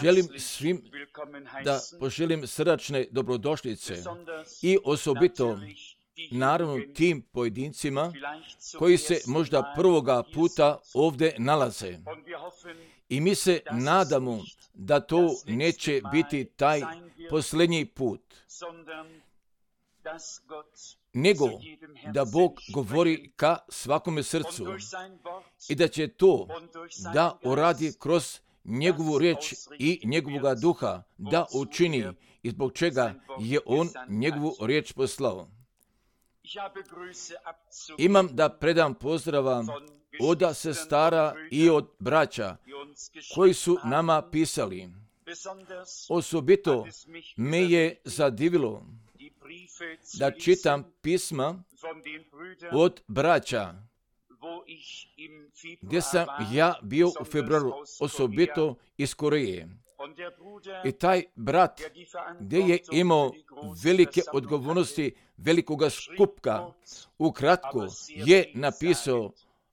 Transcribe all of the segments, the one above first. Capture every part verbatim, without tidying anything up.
Želim svim da poželim srdačne dobrodošlice i osobito naravno tim pojedincima koji se možda prvoga puta ovdje nalaze. I mi se nadamo da to neće biti taj posljednji put, nego da Bog govori ka svakome srcu i da će to da uradi kroz njegovu riječ i njegovoga duha da učini i zbog čega je on njegovu riječ poslao. Imam da predam pozdrava od sestara i od braća koji su nama pisali. Osobito me je zadivilo da čitam pisma od braća gdje sam ja bio u februaru, osobito iz Koreje. I taj brat gdje je imao velike odgovornosti velikoga skupka, ukratko je napisao,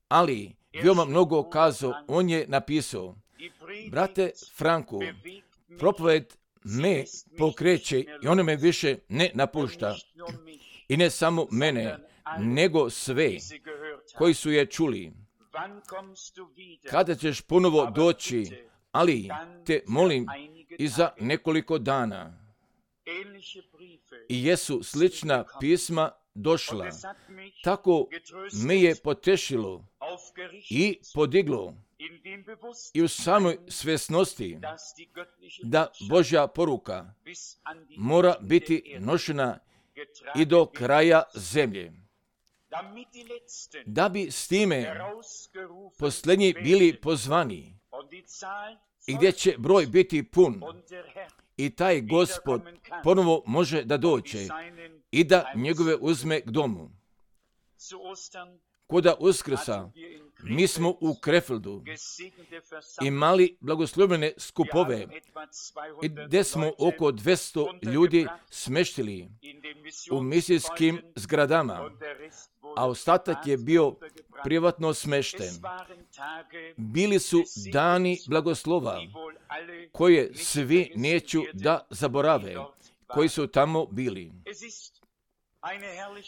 ali veoma mnogo kazao, on je napisao: brate Franko, propoved me pokreće i ono me više ne napušta. I ne samo mene, nego sve koji su je čuli. Kada ćeš ponovo doći, ali te molim i za nekoliko dana. I jesu slična pisma došla. Tako me je potešilo i podiglo i u samoj svjesnosti da Božja poruka mora biti nošena i do kraja zemlje. Da bi s time posljednji bili pozvani i gdje će broj biti pun i taj Gospod ponovo može da dođe i da njegove uzme k domu. Koda Uskrsa mi smo u Krefeldu imali blagoslovljene skupove i gdje smo oko dvjesto ljudi smeštili u misijskim zgradama, a ostatak je bio privatno smešten. Bili su dani blagoslova koje svi neću da zaborave, koji su tamo bili.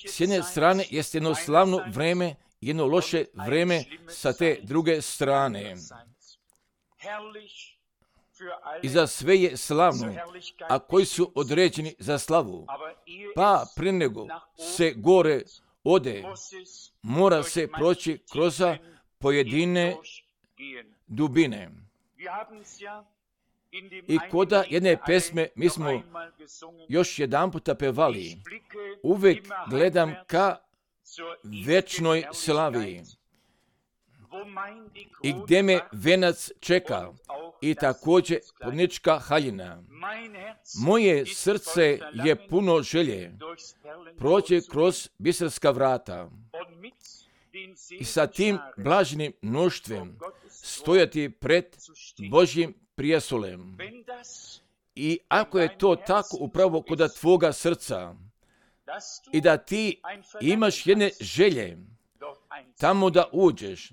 S jedne strane jest jedno slavno vreme, jedno loše vreme sa te druge strane. I za sve je slavno, a koji su određeni za slavu. Pa prije nego se gore ode, mora se proći kroz pojedine dubine. I koda jedne pesme mi smo još jedan puta pevali, uvijek gledam ka večnoj slavi i gdje me venac čeka i također plodnička haljina. Moje srce je puno želje proći kroz biserska vrata i sa tim blaženim mnoštvem stojati pred Božjim prijesolem. I ako je to tako upravo kod tvoga srca i da ti imaš jedne želje tamo da uđeš,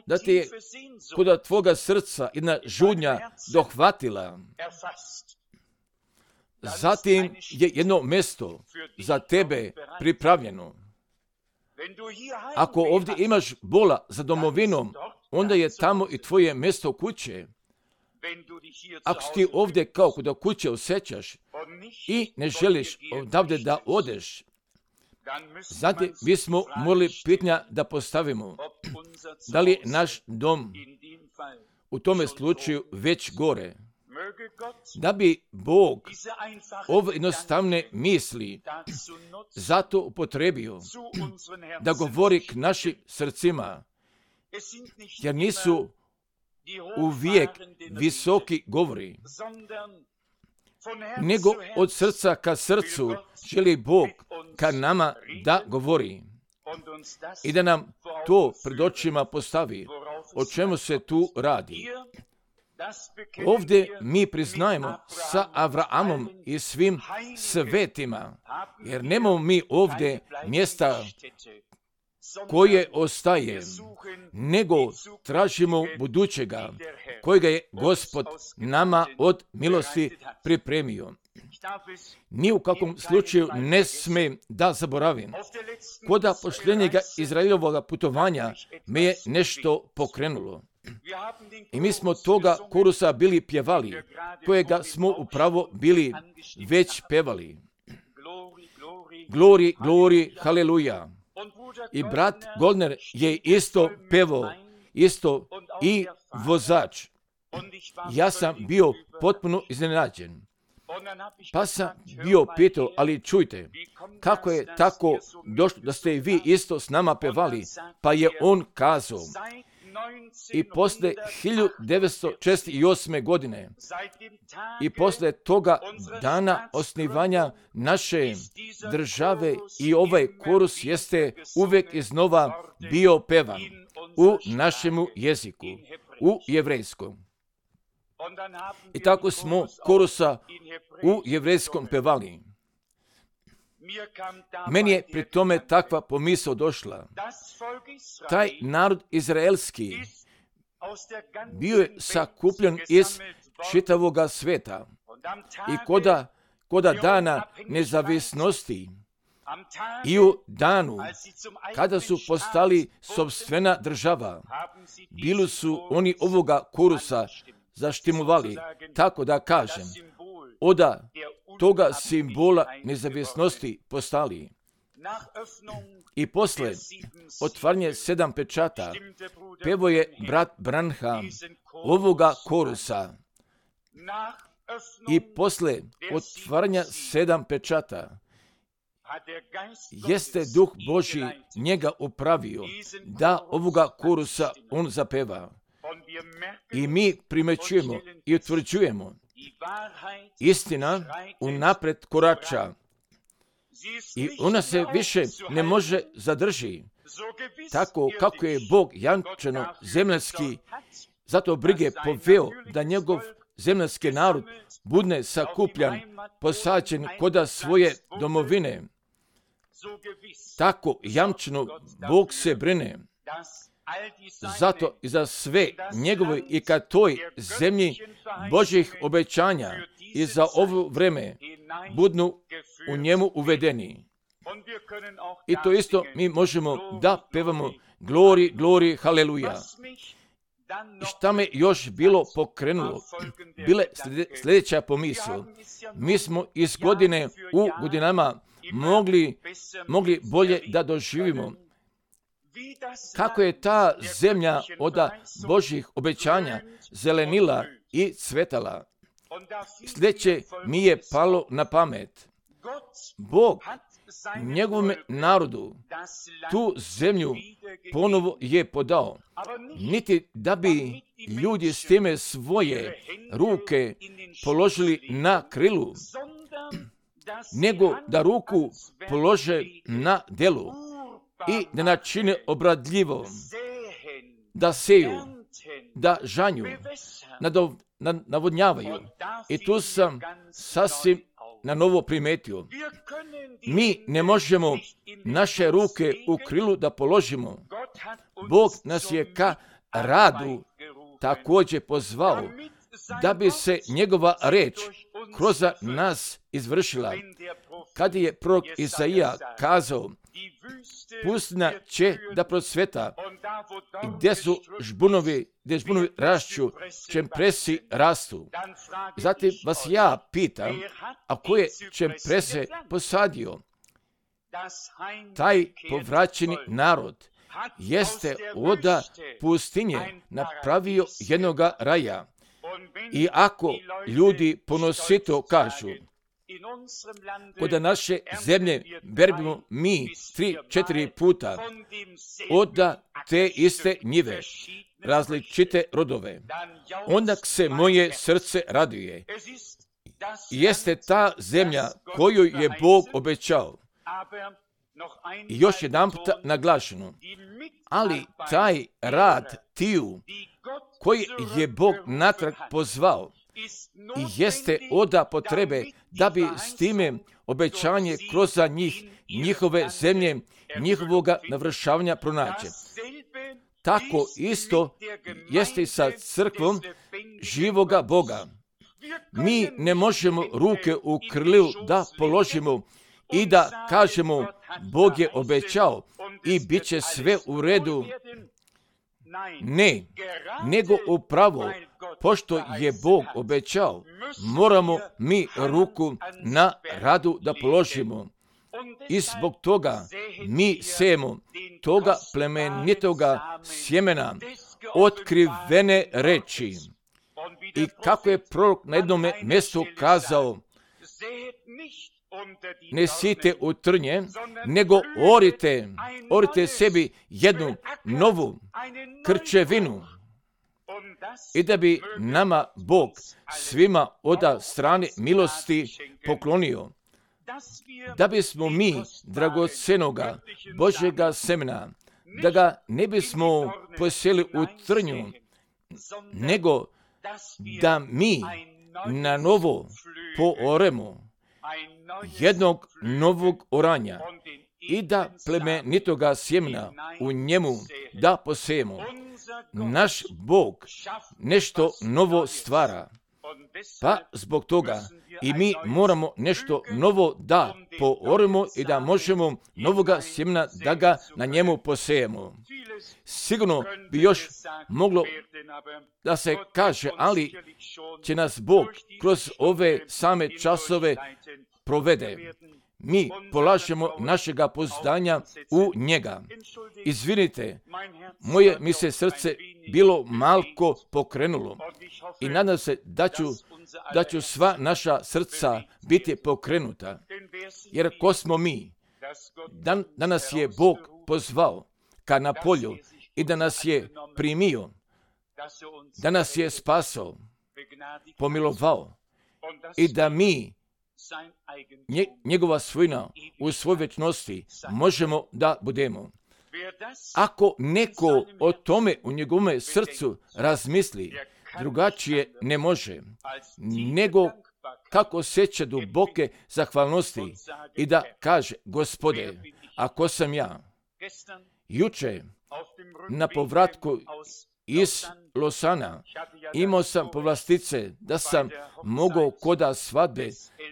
da ti je kod tvoga srca jedna žudnja dohvatila, zatim je jedno mjesto za tebe pripravljeno. Ako ovdje imaš bola za domovinom, onda je tamo i tvoje mjesto kuće. Ako ti ovdje kao kod kuće osjećaš i ne želiš odavde da odeš, zato bismo morali pitanja da postavimo. Da li je naš dom u tome slučaju već gore? Da bi Bog ove jednostavne misli zato upotrebio da govori k našim srcima, jer nisu uvijek visoki govori, nego od srca ka srcu želi Bog ka nama da govori i da nam to pred očima postavi. O čemu se tu radi? Ovdje mi priznajemo sa Avraamom i svim svetima, jer nemamo mi ovdje mjesta koje ostaje, nego tražimo budućega, kojega je Gospod nama od milosti pripremio. Ni u kakvom slučaju ne sme da zaboravim. Kod pošljenjega Izraelovog putovanja me je nešto pokrenulo. I mi smo toga korusa bili pjevali, kojega smo upravo bili već pevali. Glori, glori, haleluja. I brat Goldner je isto pevao, isto i vozač. Ja sam bio potpuno iznenađen. Pa sam bio pitao, ali čujte, kako je tako došlo da ste i vi isto s nama pevali? Pa je on kazao, i posle hiljadu devetsto četrdeset osme. godine i posle toga dana osnivanja naše države i ovaj korus jeste uvek iznova bio pevan u našemu jeziku, u jevrejskom. I tako smo korusa u jevrejskom pevali. Meni je pri tome takva pomisao došla. Taj narod izraelski bio je sakupljen iz čitavoga sveta i koda, koda dana nezavisnosti i u danu kada su postali sopstvena država, bili su oni ovoga korusa zaštimovali, tako da kažem, oda toga simbola nezavisnosti postali. I posle otvaranje sedam pečata, pevo je brat Branham ovoga korusa. I posle otvaranja sedam pečata, jeste Duh Božji njega upravio da ovoga korusa on zapeva. I mi primećujemo i utvrđujemo, istina unapred korača i ona se više ne može zadrži. Tako kako je Bog jančano zemljanski, zato brige poveo da njegov zemljanski narod budne sakupljan, posađen koda svoje domovine. Tako jamčano Bog se brine. Zato i za sve njegove i ka toj zemlji Božjih obećanja i za ovo vreme budnu u njemu uvedeni. I to isto mi možemo da pevamo glori, glori, haleluja. I šta me još bilo pokrenulo, bile sljedeća pomisao. Mi smo iz godine u godinama mogli, mogli bolje da doživimo kako je ta zemlja od Božjih obećanja zelenila i cvetala. Sljedeće mi je palo na pamet. Bog njegovom narodu tu zemlju ponovo je podao. Niti da bi ljudi s time svoje ruke položili na krilu, nego da ruku polože na delu i da načine obradljivo, da seju, da žanju, navodnjavaju. I tu sam sasvim na novo primetio. Mi ne možemo naše ruke u krilu da položimo. Bog nas je ka radu također pozvao, da bi se njegova reč kroz nas izvršila. Kad je prorok Isaija kazao, pustina će da procveta i gdje su žbunovi, gdje žbunovi rašću, čempresi rastu. Zatim vas ja pitam, a ko je čemprese posadio? Taj povraćeni narod jeste od pustinje napravio jednoga raja. I ako ljudi ponosito kažu, kod naše zemlje berbimo mi tri, četiri puta od te iste njive, različite rodove, onda se moje srce raduje. Jeste ta zemlja koju je Bog obećao. I još jedan puta naglašeno, ali taj rad tiju koji je Bog natrag pozvao i jeste oda potrebe da bi s time obećanje kroz njih, njihove zemlje njihovoga navršavanja pronaće. Tako isto jeste i sa crkvom živoga Boga. Mi ne možemo ruke u krlu da položimo i da kažemo Bog je obećao i bit će sve u redu. Ne, nego upravo, pošto je Bog obećao, moramo mi ruku na radu da položimo. I zbog toga mi sejemo toga plemenitoga sjemena, otkrivene reči. I kako je prorok na jednom mjestu kazao, ne sijte u trnje, nego orite, orite sebi jednu novu krčevinu. I da bi nama Bog svima od strane milosti poklonio. Da bismo mi dragocenoga Božjega semena, da ga ne bismo posjeli u trnju, nego da mi na novo pooremo jednog novog oranja i da plemenitoga sjemena u njemu da posejemo. Naš Bog nešto novo stvara, pa zbog toga i mi moramo nešto novo da pooremo i da možemo novoga sjemena da ga na njemu posejemo. Sigurno bi još moglo da se kaže, ali će nas Bog kroz ove same časove provede. Mi polažemo našega pouzdanja u njega. Izvinite, moje mi se srce bilo malko pokrenulo i nadam se da ću, da ću sva naša srca biti pokrenuta. Jer ko smo mi? Da, da nas je Bog pozvao ka na polju i da nas je primio, da nas je spasao, pomilovao i da mi Nje, njegova svojina u svoj večnosti možemo da budemo. Ako neko o tome u njegovom srcu razmisli, drugačije ne može, nego kako osjeća duboke zahvalnosti i da kaže, Gospode, ako sam ja juče na povratku iz Losana imao sam povlastice da sam mogao koda svadbe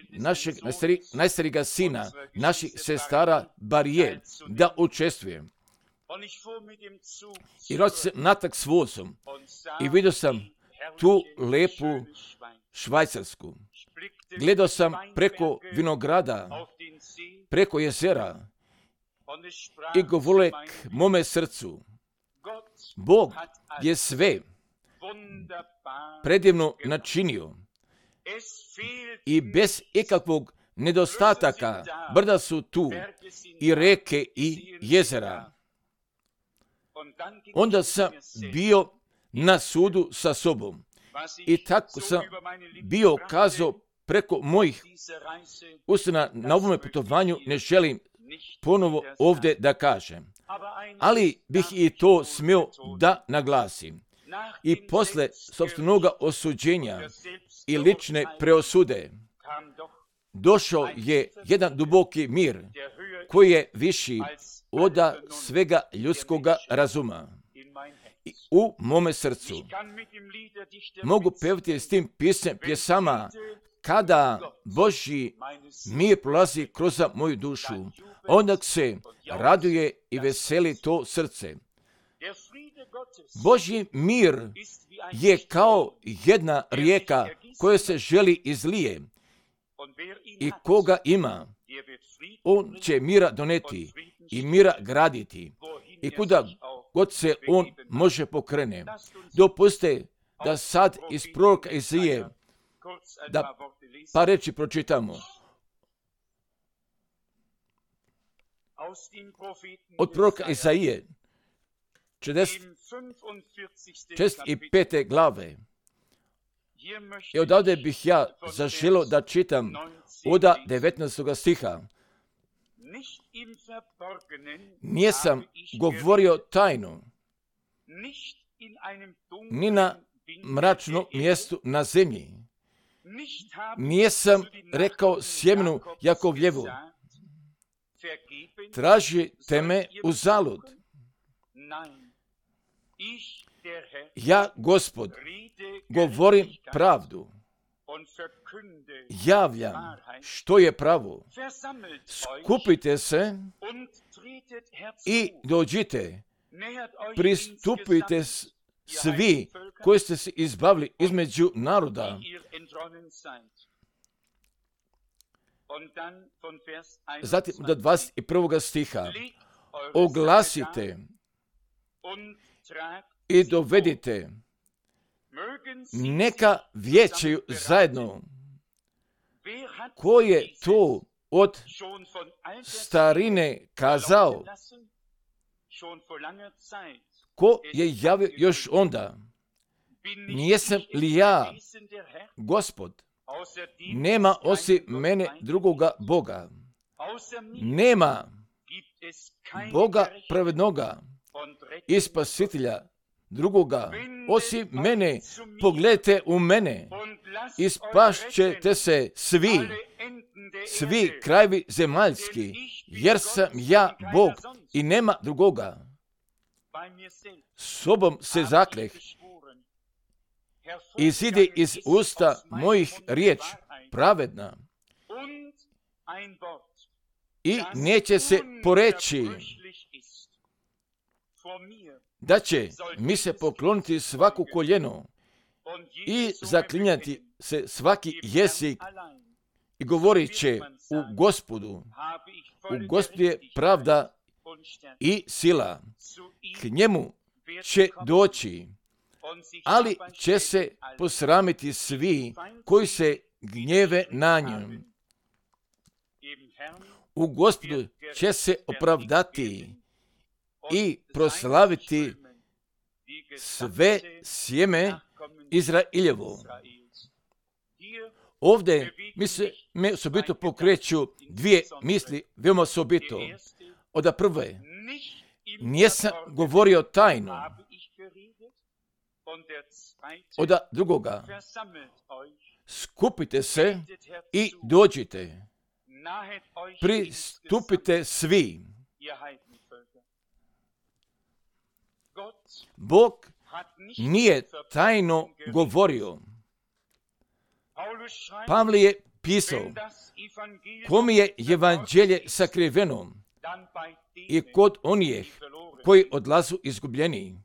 našeg najstari, najstarijega sina, naših sestara Barije, da učestvujem. I rođe se natak s vozom i vidio sam tu lepu Švajcarsku. Gledao sam preko vinograda, preko jezera i govorio k mome srcu, Bog je sve predivno načinio i bez ikakvog nedostataka brda su tu i reke i jezera. Onda sam bio na sudu sa sobom i tako sam bio kazao preko mojih usana na ovome putovanju, ne želim ponovo ovdje da kažem. Ali bih i to smio da naglasim. I posle sopstvenoga osuđenja i lične preosude došao je jedan duboki mir koji je viši od svega ljudskoga razuma. I u mome srcu mogu pevati s tim pisem pjesama kada Božji mir prolazi kroz moju dušu, onda se raduje i veseli to srce. Božji mir je kao jedna rijeka koja se želi izlije i koga ima, on će mira doneti i mira graditi i kuda god se on može pokrene. Dopustite da sad iz proroka Izaije da par reči pročitamo. Od proroka Izaije, četrdeset pete glave. I odavde bih ja zaželio da čitam od devetnaestog stiha. Nisam govorio tajno, ni na mračnom mjestu na zemlji. Nisam rekao sjemenu Jakovljevu, tražite me uzalud. Ja, Gospod, govorim pravdu, javljam što je pravo. Skupite se i dođite, pristupite svi koji ste se izbavili između naroda. Zatim do dvadeset prvog stiha. Oglasite i dovedite, neka vijećaju zajedno. Ko je to od starine kazao? Ko je javio još onda? Nijesam li ja, Gospod? Nema osim mene drugoga Boga. Nema Boga pravednoga i spasitelja drugoga osim mene. Pogledajte u mene i spašćete se svi, svi krajevi zemaljski, jer sam ja Bog i nema drugoga. Sobom se zakleh, izide iz usta mojih riječ pravedna i neće se poreći da će mi se pokloniti svako koljeno i zaklinjati se svaki jezik i govorit će u Gospodu, u Gospodu je pravda i sila, k njemu će doći, ali će se posramiti svi koji se gnjeve na njom. U Gospodu će se opravdati i proslaviti sve sjeme Izrailjevo. Ovdje mi se me osobito pokreću dvije misli, veoma osobito. Od prve, nisam govorio tajno. Od drugoga, skupite se i dođite. Pristupite svi. Bog nije tajno govorio. Pavle je pisao, kom je evanđelje sakriveno i kod onih koji odlazu izgubljeni.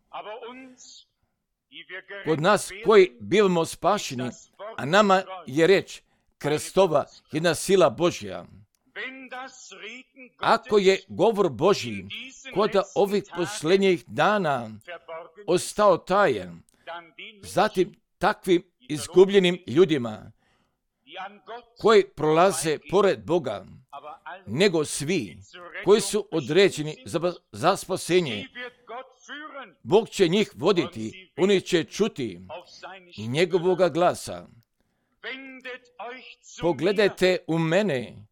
Kod nas koji bivamo spašeni, a nama je reč Kristova jedna sila Božja. Ako je govor Božji kod ovih posljednjih dana ostao tajan, zatim takvim izgubljenim ljudima koji prolaze pored Boga, nego svi koji su određeni za, za spasenje, Bog će njih voditi, oni će čuti njegovoga glasa. Pogledajte u mene,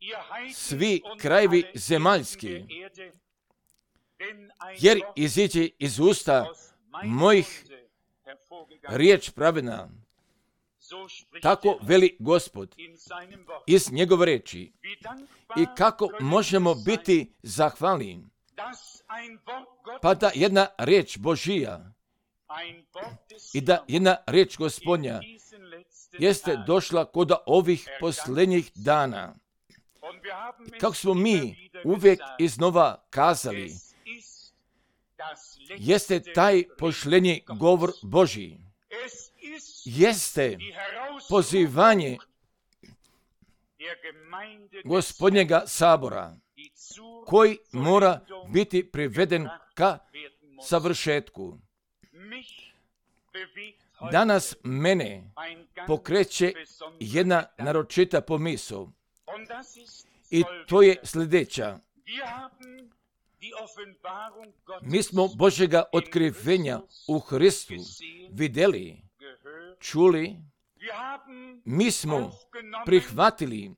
svi krajevi zemaljski, jer iziđe iz usta mojih riječ pravedna. Tako veli Gospod iz njegove reči. I kako možemo biti zahvalni? Pa da jedna riječ Božija i da jedna riječ Gospodnja jeste došla kod ovih posljednjih dana. I kako smo mi uvijek iznova kazali, jeste taj posljednji govor Božji. Jeste pozivanje Gospodnjega sabora koji mora biti priveden ka savršetku. Danas mene pokreće jedna naročita pomisao i to je sljedeća. Mi smo Božjega otkrivenja u Hristu vidjeli, čuli, mi smo prihvatili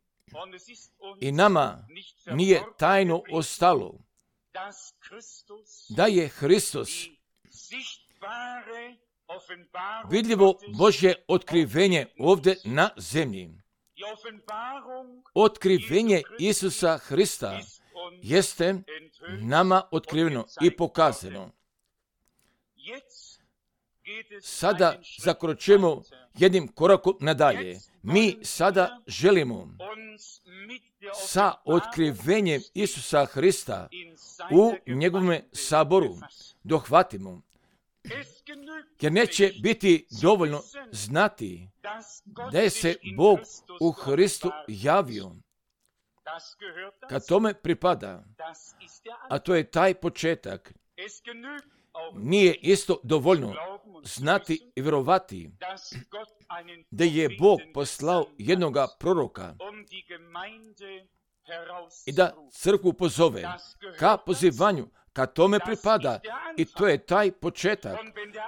i nama nije tajno ostalo da je Hristos vidljivo Božje otkrivenje ovdje na zemlji. Otkrivenje Isusa Hrista jeste nama otkriveno i pokazano. Sada zakročujemo jednim korakom nadalje. Mi sada želimo sa otkrivenjem Isusa Hrista u njegovom saboru dohvatimo. Jer neće biti dovoljno znati da je se Bog u Hristu javio. Kad tome pripada, a to je taj početak, nije isto dovoljno znati i vjerovati da je Bog poslao jednoga proroka i da crkvu pozove ka pozivanju, kad tome pripada, i to je taj početak.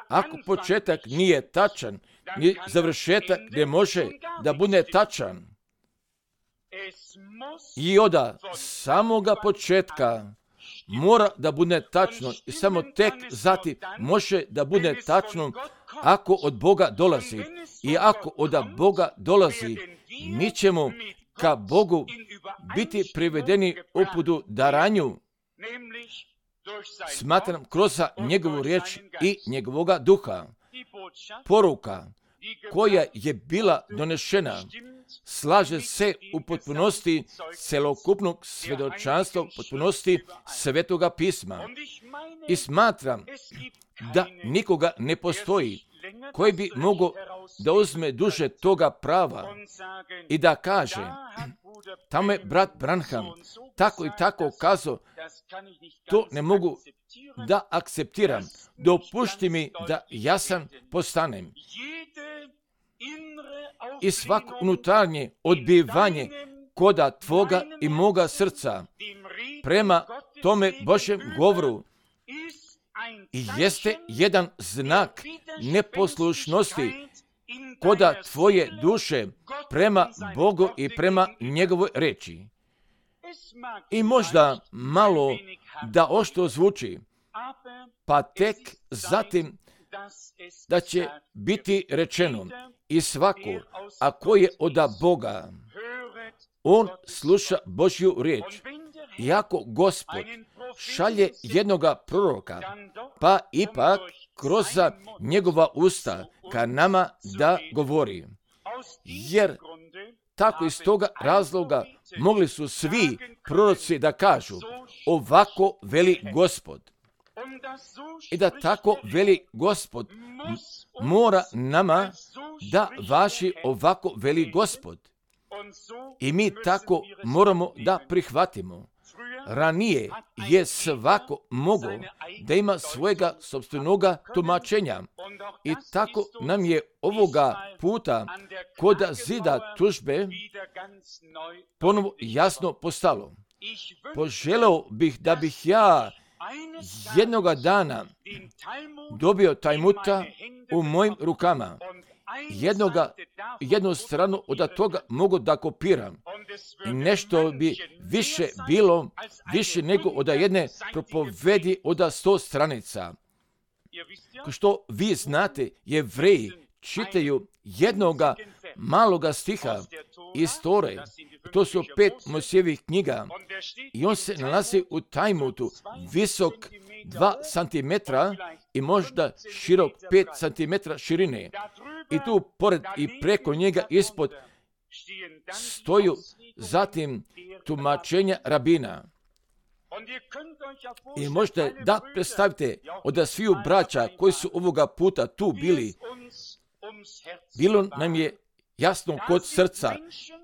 Ako početak nije tačan, ni završetak ne može da bude tačan. I od samoga početka mora da bude tačno i samo tek zatim može da bude tačno ako od Boga dolazi. I ako od Boga dolazi, mi ćemo ka Bogu biti privedeni uputu daranju, smatram kroz njegovu riječ i njegovoga duha. Poruka koja je bila donešena slaže se u potpunosti celokupnog svjedočanstva, u potpunosti Svetoga pisma. I smatram da nikoga ne postoji koji bi mogao da uzme duže toga prava i da kaže, tamo je brat Branham tako i tako kazao, to ne mogu da akceptiram. Dopušti mi da jasan postanem. I svako unutarnje odbivanje koda tvoga i moga srca prema tome Božjem govoru i jeste jedan znak neposlušnosti koda tvoje duše prema Bogu i prema njegovoj reči. I možda malo da ošto zvuči, pa tek zatim da će biti rečeno i svako, ako je od Boga, on sluša Božju riječ. I ako Gospod šalje jednoga proroka, pa ipak kroz njegova usta ka nama da govori. Jer tako iz toga razloga mogli su svi proroci da kažu, ovako veli Gospod. I da tako veli Gospod mora nama da važi ovako veli Gospod. I mi tako moramo da prihvatimo. Ranije je svako mogao da ima svojega sopstvenoga tumačenja. I tako nam je ovoga puta kod zida tužbe ponovo jasno postalo. Poželeo bih da bih ja jednoga dana dobio Talmuda u mojim rukama. Jednoga, jednu stranu od toga mogu da kopiram. I nešto bi više bilo, više nego od jedne propovedi od sto stranica. Ko što vi znate, Jevreji čitaju jednoga maloga stiha iz Tore. To su pet Mojsijevih knjiga. I on se nalazi u Talmudu, visok dva centimetra i možda širok pet centimetra širine. I tu pored i preko njega ispod stoju zatim tumačenja rabina. I možete da predstavite od sviju braća koji su ovoga puta tu bili, bilo nam je jasno kod srca,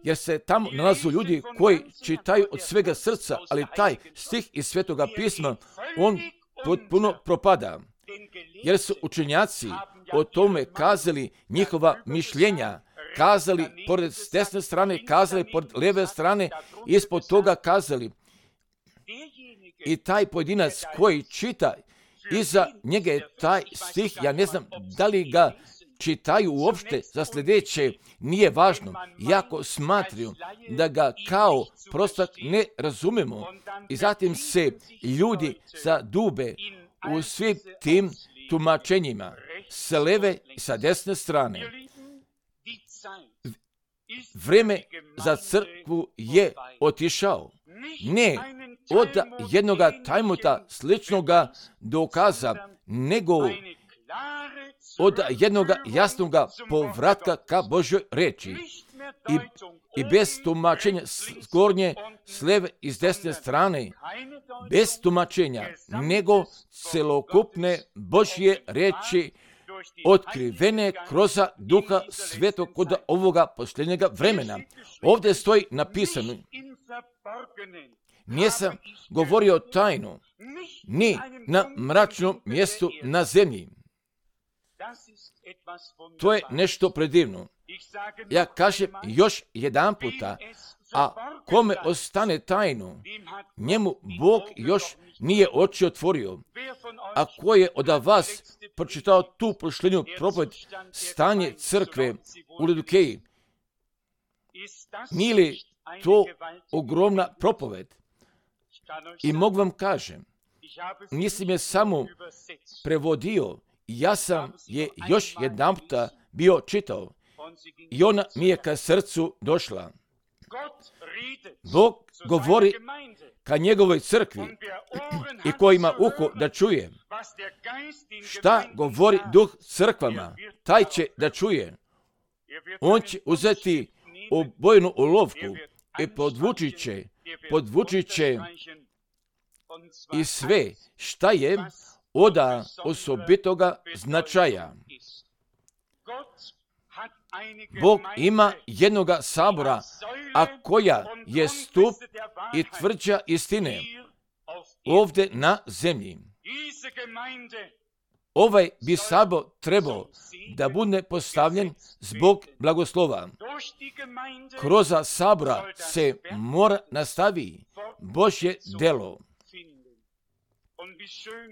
jer se tamo nalazu ljudi koji čitaju od svega srca, ali taj stih iz Svetoga pisma, on potpuno propada. Jer su učenjaci o tome kazali njihova mišljenja, kazali pored s desne strane, kazali pored lijeve strane, ispod toga kazali. I taj pojedinac koji čita, iza njega je taj stih, ja ne znam da li ga čitaju uopšte za sljedeće, nije važno, jako smatraju da ga kao prostak ne razumemo. I zatim se ljudi zadube u svim tim tumačenjima, sa leve i sa desne strane. Vreme za crkvu je otišao. Ne od jednoga tajmuta sličnoga dokaza, nego od jednoga jasnoga povratka ka Božoj reči. I, i bez tumačenja s gornje, s leve i s desne strane, bez tumačenja, nego celokupne Božje reči otkrivene kroz Duha Svetog kod ovoga posljednjega vremena. Ovdje stoji napisano: nisam govorio tajnu, ni na mračnom mjestu na zemlji. To je nešto predivno. Ja kažem još jedan puta, a kome ostane tajno, njemu Bog još nije oči otvorio. A ko je od vas pročitao tu posljednju propoved stanje crkve u Laodikeji? Nije li to ogromna propoved? I mogu vam kažem, nisam je samo prevodio, ja sam je još jedan puta bio čitao i ona mi je ka srcu došla. Bog govori ka njegovoj crkvi i ko ima uho da čuje. Šta govori Duh crkvama, taj će da čuje. On će uzeti obojenu olovku i podvučit će, podvučit će i sve šta je od osobitoga značaja. Bog ima jednoga sabora, a koja je stup i tvrđa istine ovdje na zemlji. Ovaj bi sabor trebao da bude postavljen zbog blagoslova. Kroz sabora se mora nastavi Božje delo.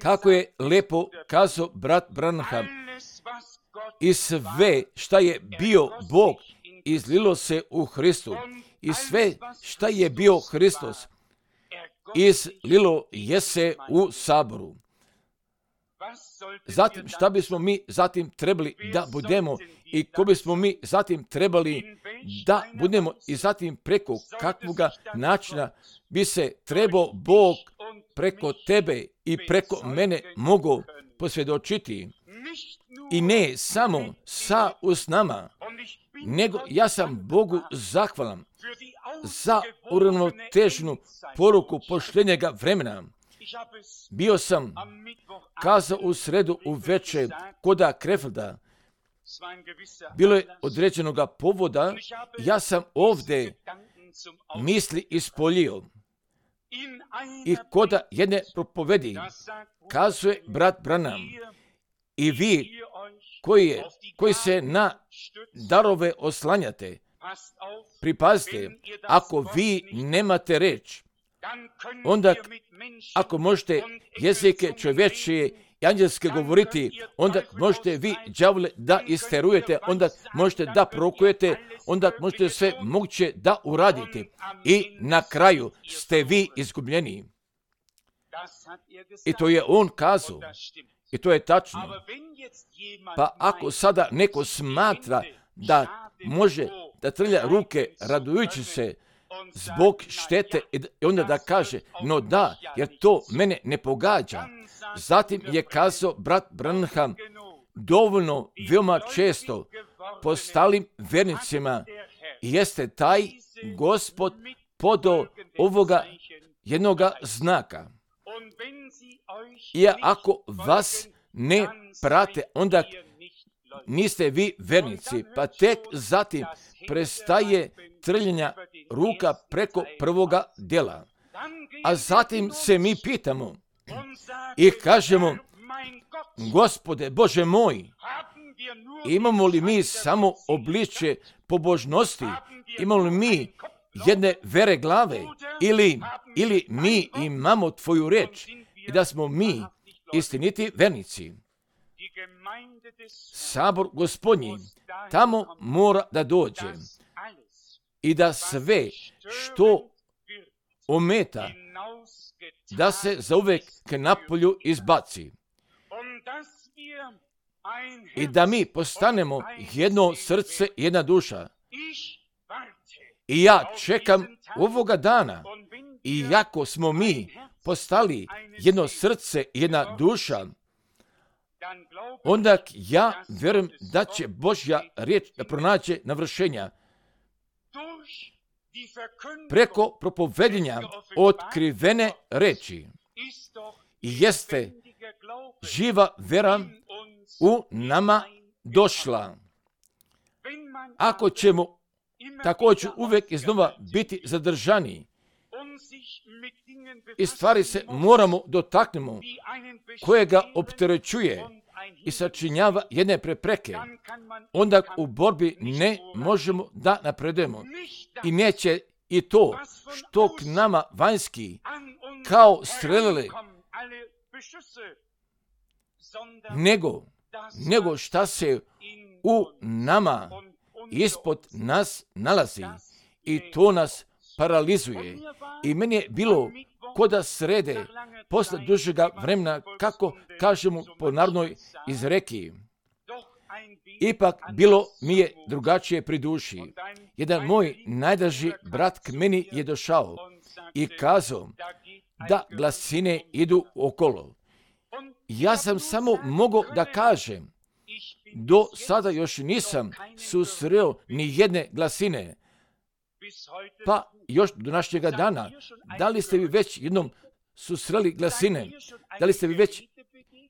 Kako je lepo kazao brat Branham, i sve šta je bio Bog izlilo se u Hristu. I sve šta je bio Hristos izlilo je se u saboru. Zatim šta bismo mi zatim trebali da budemo i ko bismo mi zatim trebali da budemo i zatim preko kakvoga načina bi se trebao Bog preko tebe i preko mene mogao posvjedočiti. I ne samo sa usnama, nego ja sam Bogu zahvalan za uravnoteženu poruku posljednjega vremena. Bio sam kazao u sredu u večer koda Krefelda. Bilo je određenoga povoda, ja sam ovdje misli ispoljio. I koda jedne propovedi kazuje brat Branham: i vi koji, je, koji se na darove oslanjate, pripazite, ako vi nemate reč, onda ako možete jezike čovječije i anđelske govoriti, onda možete vi đavole da isterujete, onda možete da prokujete, onda možete sve moguće da uradite i na kraju ste vi izgubljeni. I to je on kazao. I to je tačno. Pa ako sada neko smatra da može da trlja ruke radujući se zbog štete i onda da kaže, no da, jer to mene ne pogađa. Zatim je kazao brat Branham, dovoljno veoma često postalim vernicima jeste taj Gospod podao ovoga jednoga znaka. I ako vas ne prate, onda niste vi vernici, pa tek zatim prestaje trljenja ruka preko prvoga dela. A zatim se mi pitamo i kažemo, Gospode Bože moj, imamo li mi samo obličje pobožnosti, imamo li mi jedne vere glave, ili, ili mi imamo tvoju reč i da smo mi istiniti vernici. Sabor Gospodnji tamo mora da dođe i da sve što ometa da se zauvek k napolju izbaci i da mi postanemo jedno srce, jedna duša. I ja čekam ovoga dana I jako smo mi postali jedno srce i jedna duša, onda ja vjerujem da će Božja riječ da pronađe navršenja preko propovedanja otkrivene reči. I jeste živa vera u nama došla. Ako ćemo također uvijek iznova biti zadržani i stvari se moramo dotaknemo koje ga opterećuje i sačinjava jedne prepreke, onda u borbi ne možemo da napredujemo. I neće i to što k nama vanjski kao strelile, nego, nego šta se u nama ispod nas nalazi i to nas paralizuje. I meni je bilo ko da srede posle dužega vremena, kako kažemo po narodnoj izreki. Ipak bilo mi je drugačije pri duši. Jedan moj najdraži brat k meni je došao i kazao da glasine idu okolo. Ja sam samo mogao da kažem, do sada još nisam susreo ni jedne glasine. Pa još do današnjega dana, da li ste vi već jednom susreli glasine? Da li ste vi već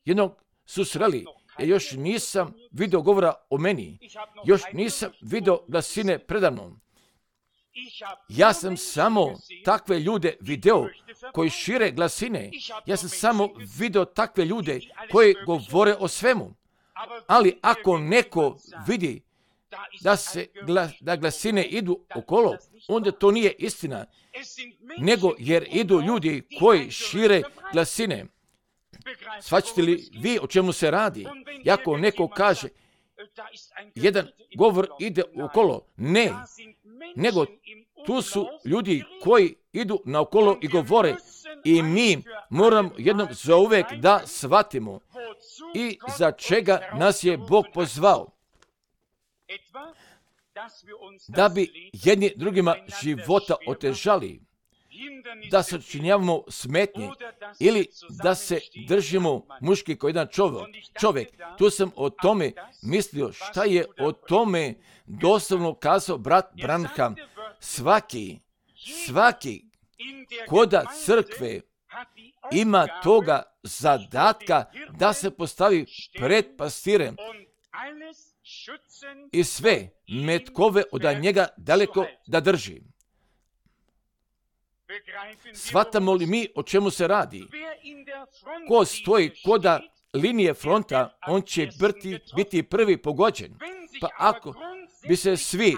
jednom susreli? Ja još nisam vidio govora o meni. Još nisam vidio glasine predamnom. Ja sam samo takve ljude video koji šire glasine. Ja sam samo vidio takve ljude koji govore o svemu. Ali ako neko vidi da se glas, da glasine idu okolo, onda to nije istina, nego jer idu ljudi koji šire glasine. Shvaćate li vi o čemu se radi? Ako neko kaže jedan govor ide okolo, ne, nego tu su ljudi koji idu naokolo i govore i mi moramo jednom zauvek da shvatimo i za čega nas je Bog pozvao. Da bi jedni drugima života otežali, da sačinjavamo smetnje ili da se držimo muški kao jedan čovjek. Tu sam o tome mislio šta je o tome doslovno kazao brat Branham. Svaki, svaki koda crkve ima toga zadatka da se postavi pred pastirem i sve metkove od njega daleko da drži. Shvatamo li mi o čemu se radi? Ko stoji koda linije fronta, on će biti, biti prvi pogođen. Pa ako bi se svi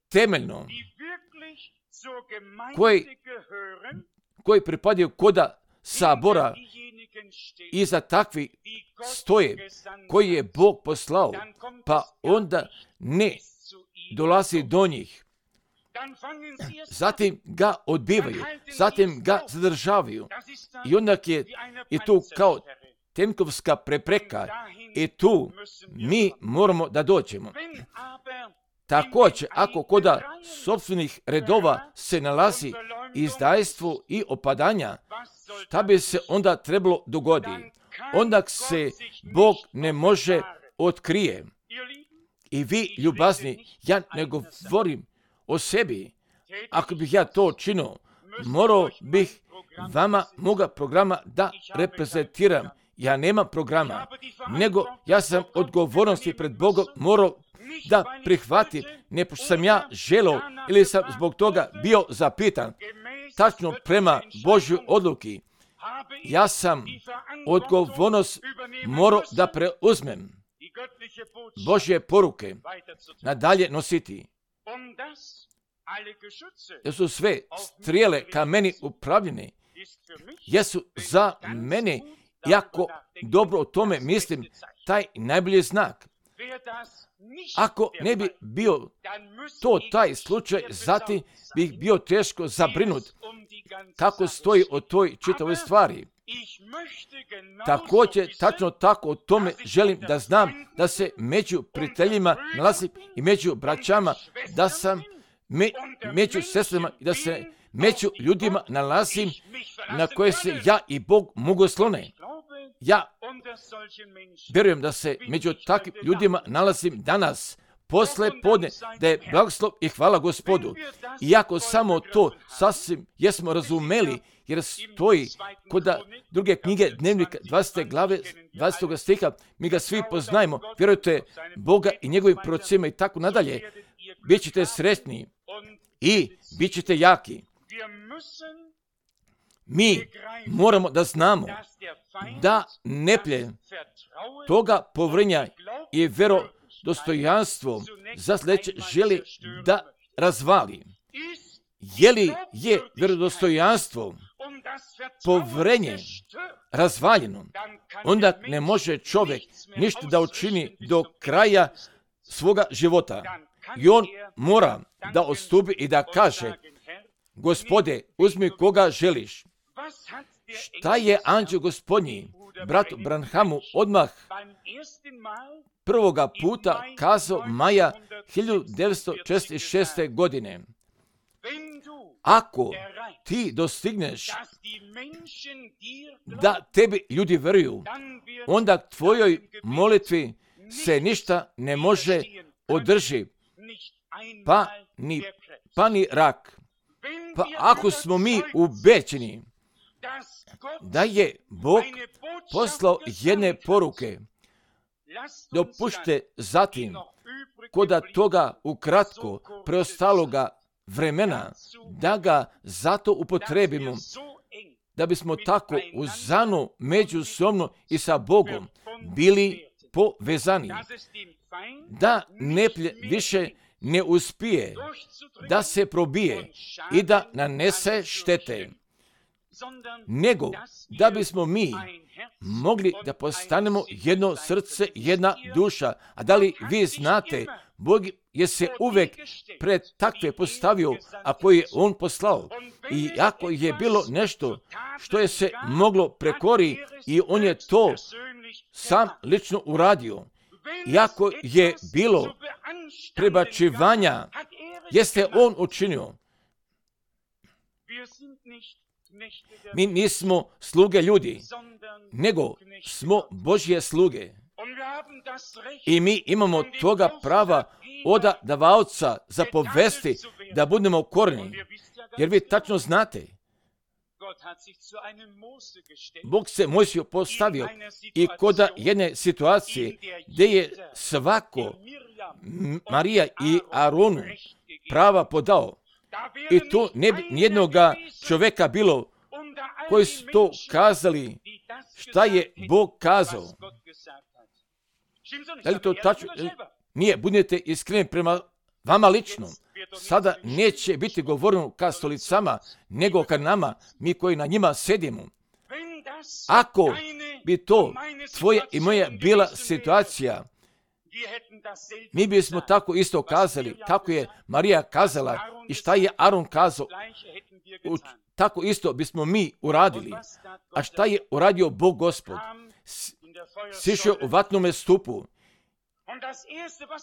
temeljno koji, koji pripadaju koda sabora iza takvi stoje koji je Bog poslao, pa onda ne dolazi do njih. Zatim ga odbivaju, zatim ga zadržavaju. I onda je i tu kao tenkovska prepreka i tu mi moramo da dođemo. Također, ako koda sopstvenih redova se nalazi izdajstvo i opadanja, šta bi se onda trebalo dogoditi? Onda se Bog ne može otkrije. I vi, ljubazni, ja ne govorim o sebi. Ako bih ja to činio, morao bih vama moga programa da reprezentiram. Ja nemam programa, nego ja sam odgovornosti pred Bogom morao da prihvatim, ne pošto sam ja želeo ili sam zbog toga bio zapitan. Tačno prema Božjoj odluki, ja sam odgovornost morao da preuzmem. Božje poruke nadalje nositi. Jer su sve strijele ka meni upravljene, jesu za mene, jako dobro o tome mislim, taj najbolji znak. Ako ne bi bio to taj slučaj, zatim bih bio teško zabrinut kako stoji o toj čitavoj stvari. Također, tačno tako o tome želim da znam da se među prijateljima nalazim i među braćama, da sam me, među sestrama i da se među ljudima nalazim na koje se ja i Bog mogu slone. Ja vjerujem da se među takvim ljudima nalazim danas, posle podne, da je blagoslov i hvala Gospodu. Iako samo to sasvim jesmo razumeli, jer stoji kod druge knjige Dnevnika dvadesete glave dvadesetog stiha, mi ga svi poznajemo, vjerujte Boga i njegovim procima i tako nadalje, bit ćete sretni i bit ćete jaki. Mi moramo da znamo da neprijatelj toga povrenja i vjerodostojanstvo za sljedeće želi da razvali. Je li je vjerodostojanstvo povrenje razvaljeno, onda ne može čovjek ništa da učini do kraja svoga života. I on mora da odstupi i da kaže: Gospode, uzmi koga želiš. Šta je anđeo Gospodnji bratu Branhamu odmah prvoga puta kazao maja hiljadu devetsto četrdeset šeste. godine? Ako ti dostigneš da tebi ljudi veruju, onda tvojoj molitvi se ništa ne može održi, pa ni, pa ni rak. Pa ako smo mi ubeđeni da je Bog poslao jedne poruke, dopušte zatim koda toga ukratko preostaloga vremena da ga zato upotrebimo, da bismo tako uzano međusobno i sa Bogom bili povezani, da neprijatelj više ne uspije da se probije i da nanese štete, nego da bismo mi mogli da postanemo jedno srce, jedna duša. A da li vi znate, Bog je se uvek pred takve postavio, ako je On poslao. I ako je bilo nešto što je se moglo prekori, i On je to sam lično uradio. Iako je bilo prebačivanja, jeste On učinio. Mi nismo sluge ljudi, nego smo Božje sluge. I mi imamo toga prava od davaoca zapovesti da budemo korni. Jer vi tačno znate, Bog se Mojsiju postavio i kod jedne situacije gdje je svako Marija i Aronu prava podao. I tu ne bi nijednoga čovjeka bilo koji su to kazali šta je Bog kazao. Da li to tačno? Nije, budete iskreni prema vama lično. Sada neće biti govoreno ka stolicama, nego ka nama, mi koji na njima sedimo. Ako bi to tvoja i moja bila situacija, mi bismo tako isto kazali, kako je Marija kazala i šta je Aron kazao, tako isto bismo mi uradili. A šta je uradio Bog Gospod? Sišao u vatnome stupu.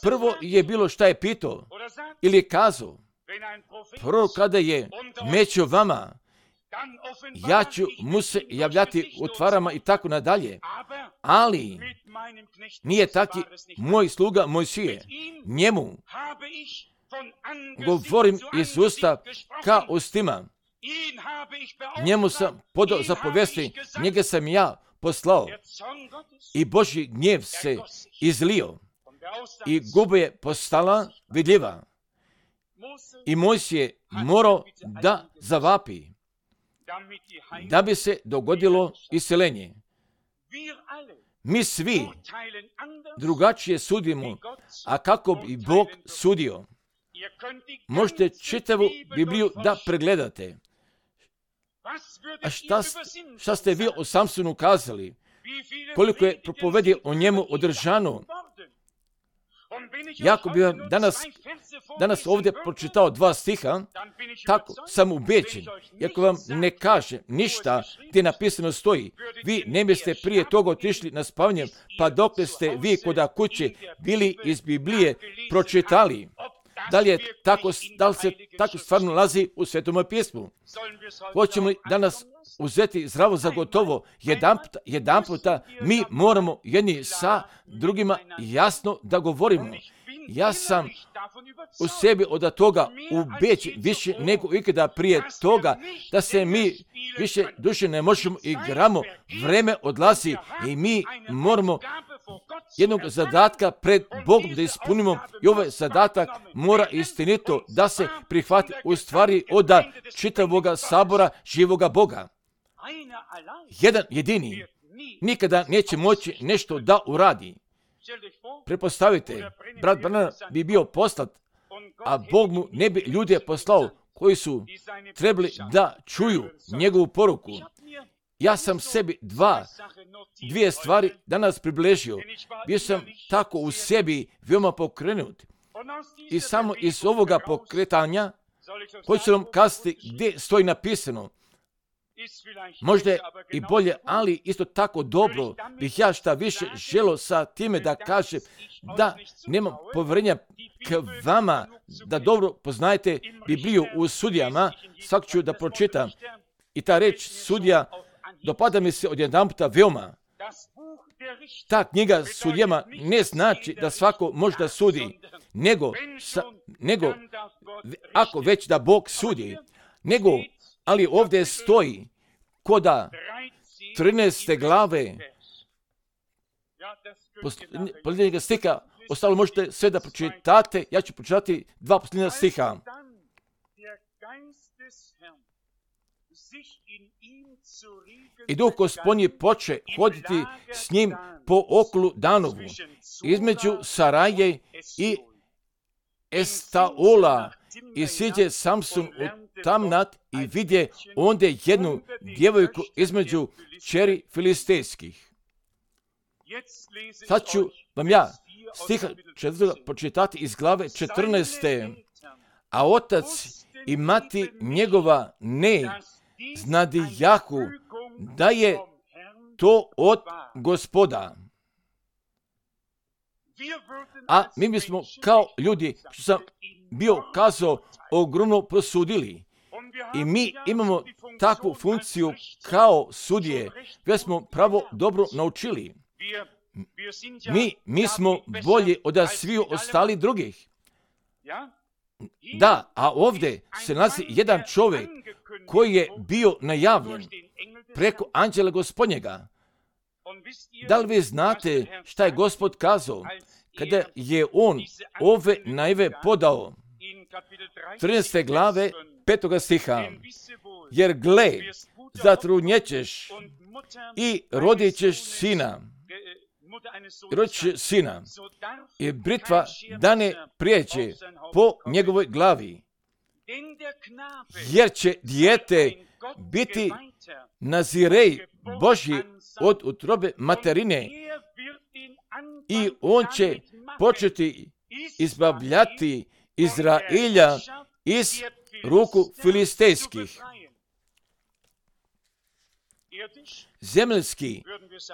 Prvo je bilo šta je pitao ili kazao. Prvo kada je među vama, ja ću mu se javljati u tvarama i tako nadalje. Ali nije taki moj sluga Mojsije. Njemu govorim iz usta ka ustima. Njemu sam podao zapovesti, njega sam ja poslao. I Božji gnjev se izlio. I guba je postala vidljiva. I Mojsije morao da zavapi, da bi se dogodilo iseljenje. Mi svi drugačije sudimo, a kako bi Bog sudio. Možete čitavu Bibliju da pregledate. A šta, šta ste vi o Samsonu kazali? Koliko je propovedio o njemu održano? Jako bi vam danas, danas ovdje pročitao dva stiha, tako sam ubeđen. Iako vam ne kaže ništa gdje napisano stoji, vi ne biste prije toga otišli na spavanje, pa dok ste vi kod kuće bili iz Biblije pročitali, Da li, je tako, da li se tako stvarno nalazi u Svetom pismu? Hoćemo li danas uzeti zdravo za gotovo? Jedan puta, jedan puta mi moramo jedni sa drugima jasno da govorimo. Ja sam u sebi od toga ubeđen više nego ikada prije toga da se mi više duše ne možemo igramo. Vreme odlazi i mi moramo jednog zadatka pred Bogom da ispunimo i ovaj zadatak mora istinito da se prihvati u stvari od čitavoga sabora živoga Boga. Jedan jedini nikada neće moći nešto da uradi. Pretpostavite, brat Branham bi bio poslat, a Bog mu ne bi ljude poslao koji su trebali da čuju njegovu poruku. Ja sam sebi dva, dvije stvari danas približio. Bio sam tako u sebi veoma pokrenut. I samo iz ovoga pokretanja hoću vam kazati gdje stoji napisano. Možda je i bolje, ali isto tako dobro bih ja šta više želio sa time da kažem da nemam povjerenja k vama, da dobro poznajete Bibliju u Sudijama. Svak ću da pročitam. I ta reč Sudija dopada mi se odjedan puta veoma. Ta knjiga Sudijama ne znači da svako može da sudi, nego, sa, nego ako već da Bog sudi, nego, ali ovdje stoji koda trinaeste glave posljednjega stiha, ostalo možete sve da pročitate, ja ću pročitati dva posljednja stiha. I Duh Gospodnji poče hoditi s njim po okolu Danovu, između Saraje i Estaola, i siđe Samson u Tamnat i vidje ondje jednu djevojku između kćeri filistejskih. Sad ću vam ja stiha četvrtoga pročitati iz glave četrnaeste. A otac i mati njegova ne znadijahu da je to od Gospoda. A mi bismo kao ljudi, što sam bio kazao, ogromno prosudili. I mi imamo takvu funkciju kao sudije, već smo pravo dobro naučili. Mi, mi smo bolji od sviju ostali drugih. Da, a ovdje se nalazi jedan čovjek koji je bio najavljen preko anđela Gospodnjega. Da li vi znate šta je Gospod kazao kada je on ove najave podao? trinaeste glave petoga stiha. Jer gle, zatrudnjećeš i rodit ćeš sina. Rodit ćeš sina. I britva da ne prijeđe po njegovoj glavi. Jer će dijete biti nazirej Božji od utrobe materine i on će početi izbavljati Izraelja iz ruku filistejskih. Zemljski,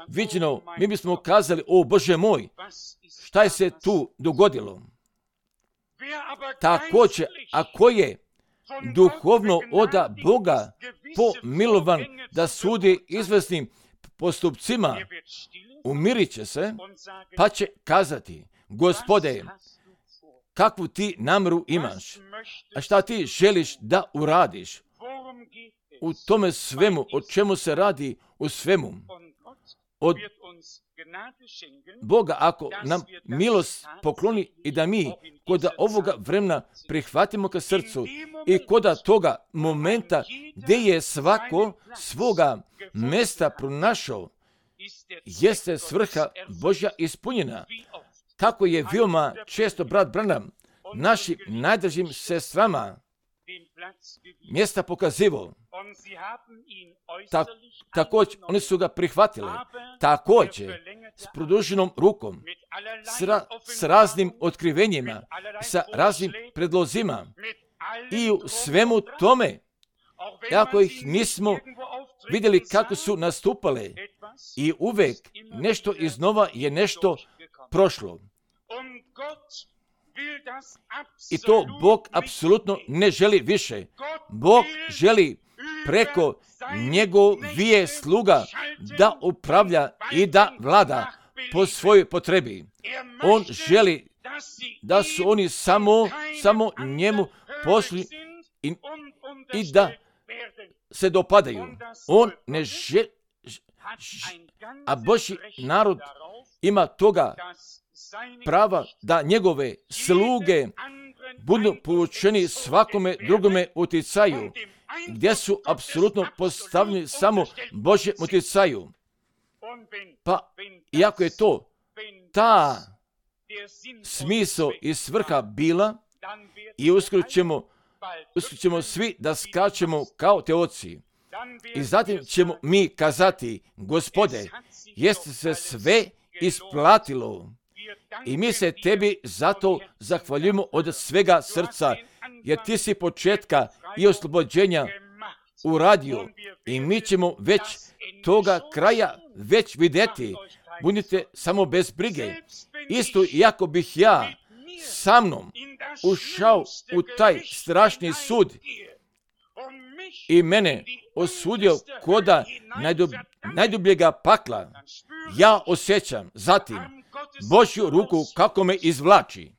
viđeno, mi bismo kazali, o Bože moj, šta je se tu dogodilo? Također, ako je duhovno oda Boga pomilovan da sudi izvesnim postupcima, umirit će se, pa će kazati, Gospode, kakvu ti namjeru imaš, a šta ti želiš da uradiš u tome svemu, o čemu se radi u svemu. Od Boga, ako nam milost pokloni i da mi kod ovoga vremena prihvatimo ka srcu i kod toga momenta gdje je svako svoga mjesta pronašao, jeste svrha Božja ispunjena. Kako je veoma često brat Branham našim najdražim sestrama mjesta pokazivao. Ta, također, oni su ga prihvatili. Također, s produženom rukom, s, ra, s raznim otkrivenjima, sa raznim predlozima i u svemu tome, ako ih nismo vidjeli kako su nastupale, i uvek nešto iznova je nešto prošlo. I to Bog apsolutno ne želi više. Bog želi preko njegovije sluga da upravlja i da vlada po svojoj potrebi. On želi da su oni samo, samo njemu pošli i, i da se dopadaju. On ne želi, a Božji narod ima toga prava da njegove sluge budu poučeni svakome drugome utjecaju, gdje su apsolutno postavljeni samo Božjem utjecaju. Pa, iako je to ta smisao i svrha bila, i uskoro ćemo, uskoro ćemo svi da skačemo kao te oci. I zatim ćemo mi kazati, Gospode, jeste se sve isplatilo. I mi se tebi zato zahvaljujemo od svega srca, jer ti si početka i oslobođenja uradio. I mi ćemo već toga kraja već vidjeti. Budite samo bez brige. Isto iako bih ja sa mnom ušao u taj strašni sud i mene osudio koda najdub, najdubljega pakla, ja osjećam zatim Božju ruku kako me izvlači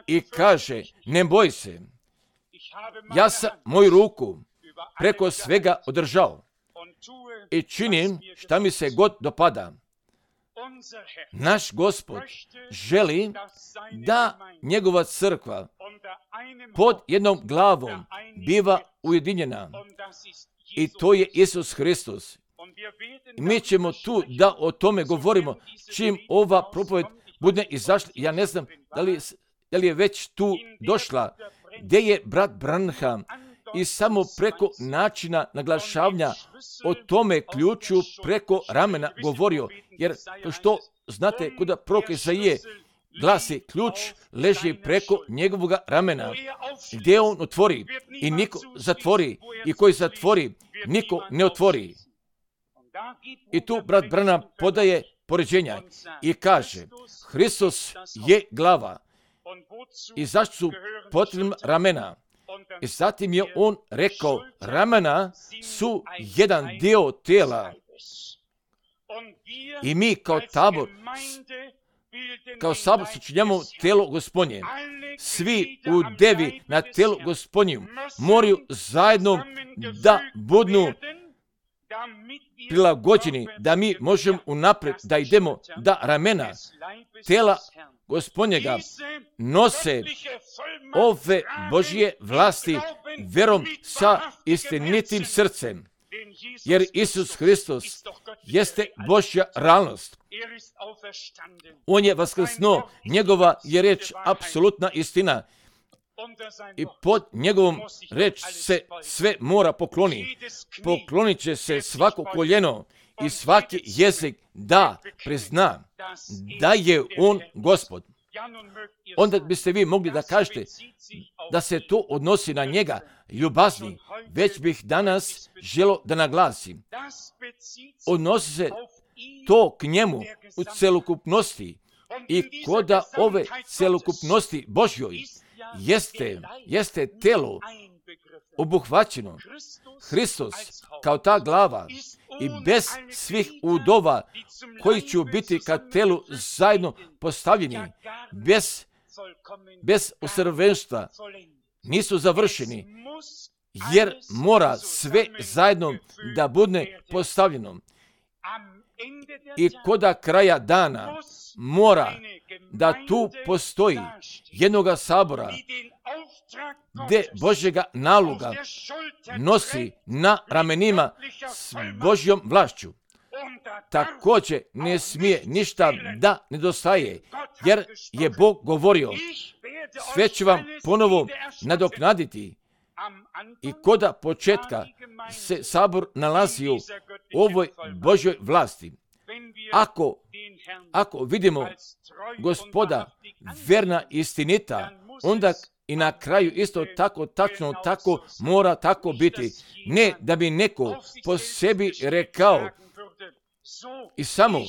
i kaže, ne boj se, ja sam moju ruku preko svega održao i činim šta mi se god dopada. Naš Gospod želi da njegova crkva pod jednom glavom biva ujedinjena i to je Isus Hristos. I mi ćemo tu da o tome govorimo čim ova propoved bude izašla. Ja ne znam da li, da li je već tu došla, gdje je brat Branham i samo preko načina naglašavanja o tome ključu preko ramena govorio, jer to što znate kuda prorok Izaije glasi, ključ leži preko njegovog ramena, gdje on otvori i niko zatvori, i koji zatvori niko ne otvori. I tu brat Branham podaje poređenja i kaže, Hristos je glava. I zašto su potrebna ramena? I zatim je on rekao, ramena su jedan dio tijela. I mi kao tabor, kao sabor sačinjamo tijelo Gospodnje. Svi u devi na tijelu Gospodnju moraju zajedno da budu prilagođeni, da mi možemo unaprijed da idemo, da ramena tijela Gospodnjega nose ove Božje vlasti verom sa istinitim srcem. Jer Isus Hristos jeste Božja realnost. On je vaskrsnuo, njegova je reč apsolutna istina. I pod njegovom reč se sve mora pokloni. Poklonit će se svako koljeno i svaki jezik da prizna da je on Gospod. Onda biste vi mogli da kažete da se to odnosi na njega, ljubazni. Već bih danas želio da naglasim. Odnosi se to k njemu u celokupnosti i koda ove celokupnosti Božjoj jeste, jeste telo obuhvaćeno. Hristos kao ta glava i bez svih udova koji će biti ka telu zajedno postavljeni, bez, bez usavršenstva, nisu završeni, jer mora sve zajedno da bude postavljeno. I koda kraja dana mora da tu postoji jednoga sabora gdje Božjega naloga nosi na ramenima s Božjom vlašću. Također ne smije ništa da nedostaje, jer je Bog govorio, sve ću vam ponovo nadoknaditi. I koda početka se sabor nalazi u ovoj Božjoj vlasti. Ako, ako vidimo Gospoda verna istinita, onda i na kraju isto tako, tačno tako mora tako biti. Ne da bi neko po sebi rekao, I samo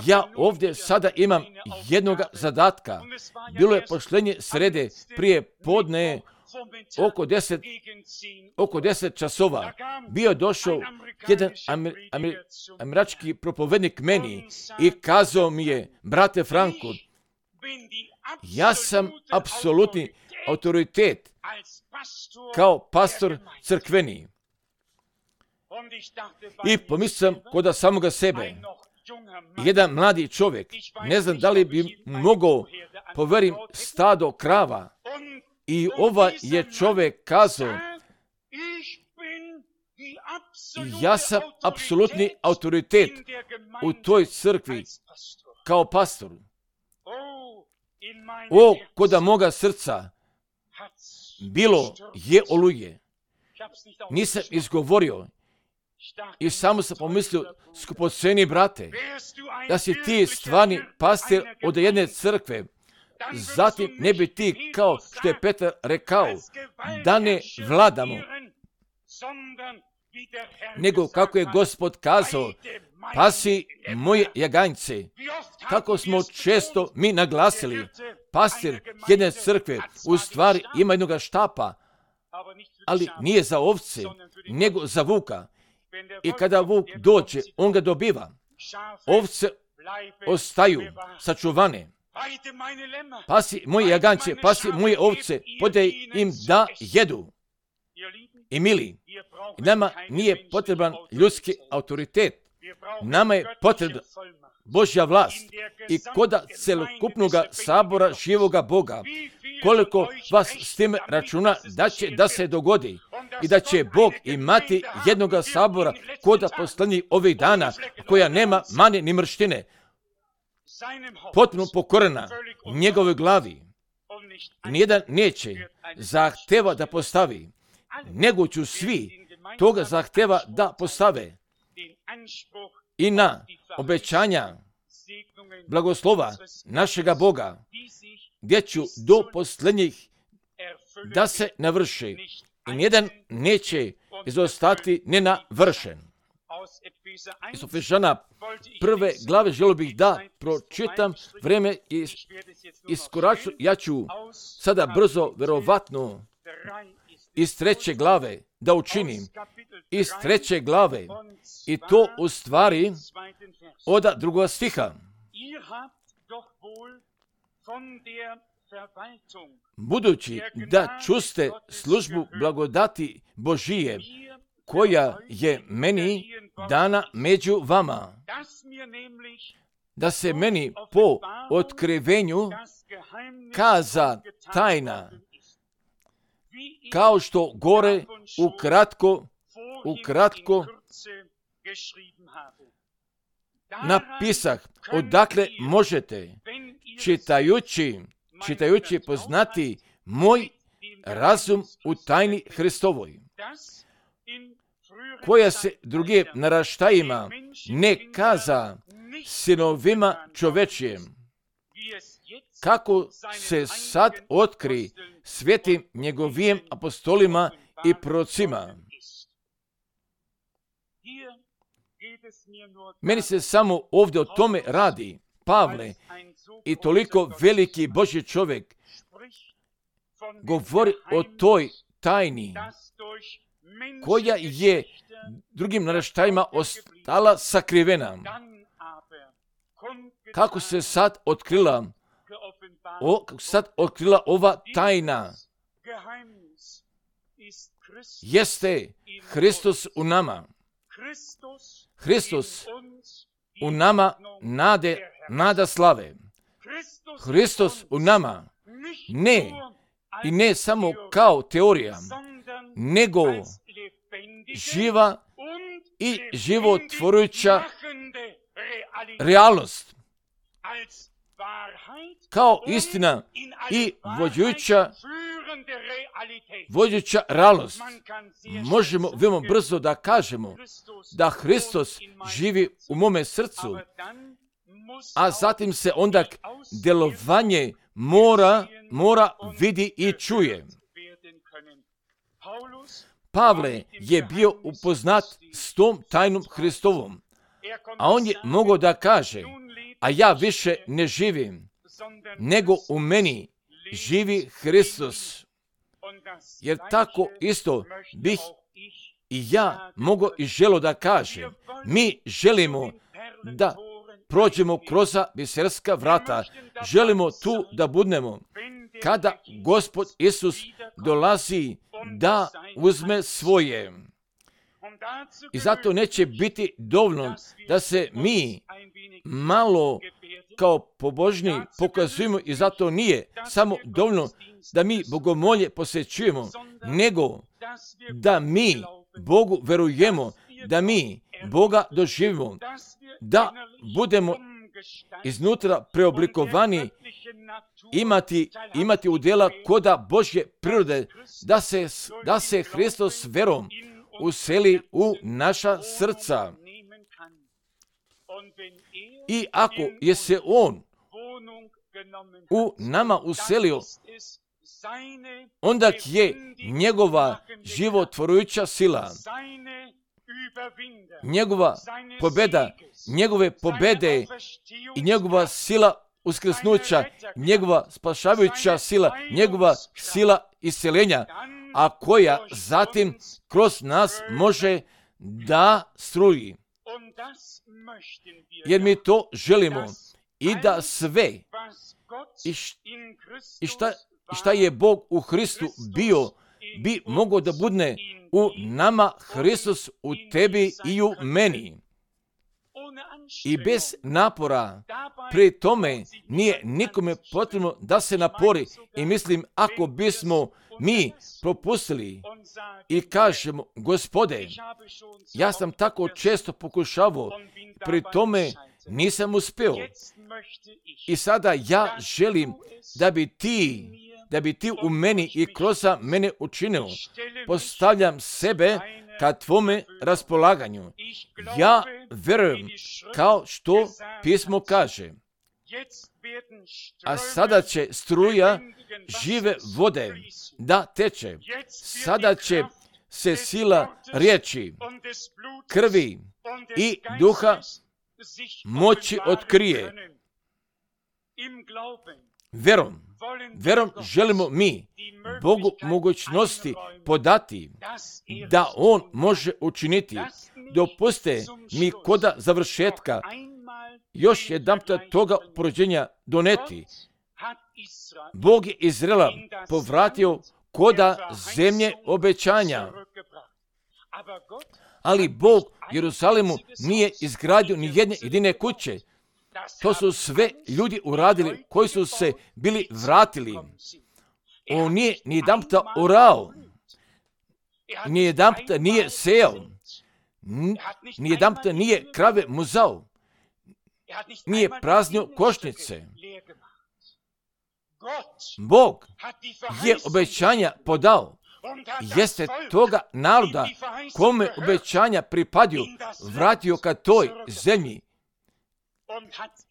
ja ovdje sada imam jednog zadatka. Bilo je pošlenje srede prije podne oko deset, oko deset časova. Bio je došao jedan amer, amer, američki propovednik meni i kazao mi je: brate Franko, ja sam apsolutni autoritet kao pastor crkveni. I pomislio sam kod samoga sebe, jedan mladi čovjek, ne znam da li bi mogao poverim stado krava. I ovaj je čovjek kazao: ja sam apsolutni autoritet u toj crkvi kao pastor. O, koda moga srca bilo je oluje. Nisam izgovorio i samo sam pomislio: skupoceni brate, da si ti stvarni pastir od jedne crkve, zatim ne bi ti, kao što je Petar rekao, da ne vladamo, nego kako je Gospod kazao: pasi moje jaganjce. Kako smo često mi naglasili, pastir jedne crkve u stvari ima jednog štapa, ali nije za ovce, nego za vuka. I kada vuk dođe, on ga dobiva. Ovce ostaju sačuvane. Pasi moje jaganče, pasi moje ovce, podaj im da jedu. I mili, nama nije potreban ljudski autoritet. Nama je potrebna Božja vlast. I koda celokupnoga sabora živoga Boga, koliko vas s tim računa da će da se dogodi i da će Bog imati jednoga sabora koda posljednjih ovih dana, koja nema mane ni mrštine, potpuno pokorena njegovoj glavi. Nijedan neće zahteva da postavi, nego ću svi toga zahteva da postave. I na obećanja blagoslova našega Boga, gdje ću do posljednjih da se navrši. I nijedan neće izostati nenavršen. Iz Efežana prve glave želio bih da pročitam, vreme is, iskoraču, ja ću sada brzo, verovatno, iz treće glave da učinim. Iz treće glave. I to u stvari od drugog stiha. Budući da čuste službu blagodati Božije, koja je meni dana među vama, da se meni po otkrivenju kaza tajna, kao što gore ukratko, ukratko napisah, odakle možete, čitajući, čitajući poznati moj razum u tajni Hristovoj, koja se drugim naraštajima ne kaza sinovima čovečijem, kako se sad otkri svetim njegovim apostolima i prorocima. Meni se samo ovdje o tome radi. Pavle i toliko veliki Božji čovjek govori o toj tajni koja je drugim naraštajima ostala sakrivena. Kako se sad otkrila, o, kako sad otkrila ova tajna? Jeste Hristos u nama. Hristos u nama nade, nada slave. Hristos u nama ne i ne samo kao teorija, nego živa i životvorujuća realnost. Kao istina i vođujuća, vođujuća realnost. Možemo veoma brzo da kažemo da Hristos živi u mome srcu, a zatim se onda djelovanje mora, mora vidi i čuje. Pavle je bio upoznat s tom tajnom Hristovom, A on je mogao da kaže, a ja više ne živim, nego u meni živi Hristos. Jer tako isto bih i ja mogu i želo da kažem. Mi želimo da prođemo kroz biserska vrata. Želimo tu da budemo kada Gospod Isus dolazi da uzme svoje. I zato neće biti dovoljno da se mi malo kao pobožni pokazujemo i zato nije samo dovoljno da mi bogomolje posjećujemo, nego da mi Bogu verujemo, da mi Boga doživimo, da budemo iznutra preoblikovani, imati, imati udjela koda Božje prirode, da se, da se Hristos verom useli u naša srca. I ako je se On u nama uselio, onda je njegova životvorujuća sila, njegova pobjeda, njegove pobjede i njegova sila uskrsnuća, njegova spašavajuća sila, njegova sila isceljenja, a koja zatim kroz nas može da struji. Jer mi to želimo i da sve i, š, i, šta, i šta je Bog u Hristu bio, bi mogao da budne u nama Hristos, u tebi i u meni. I bez napora, pri tome nije nikome potrebno da se napori. I mislim, ako bismo mi propustili i kažemo, Gospode, ja sam tako često pokušavao, pri tome nisam uspeo. I sada ja želim da bi ti, da bi ti u meni i kroz mene učinio. Postavljam sebe ka tvome raspolaganju. Ja verujem kao što pismo kaže. A sada će struja žive vode da teče. Sada će se sila riječi, krvi i duha moći otkrije. Verom, verom želimo mi Bogu mogućnosti podati da On može učiniti. Dopuste mi koda završetka još jedan toga porođenja doneti. Bog je Izraela povratio koda zemlje obećanja. Ali Bog Jeruzalemu nije izgradio ni jedne jedine kuće. To su sve ljudi uradili koji su se bili vratili. On nije ni jedan puta orao, ni jedan puta nije sejao, ni jedan puta nije krave muzao, nije praznio košnice. Bog je obećanja podao. Jeste toga naroda kome obećanja pripadaju vratio ka toj zemlji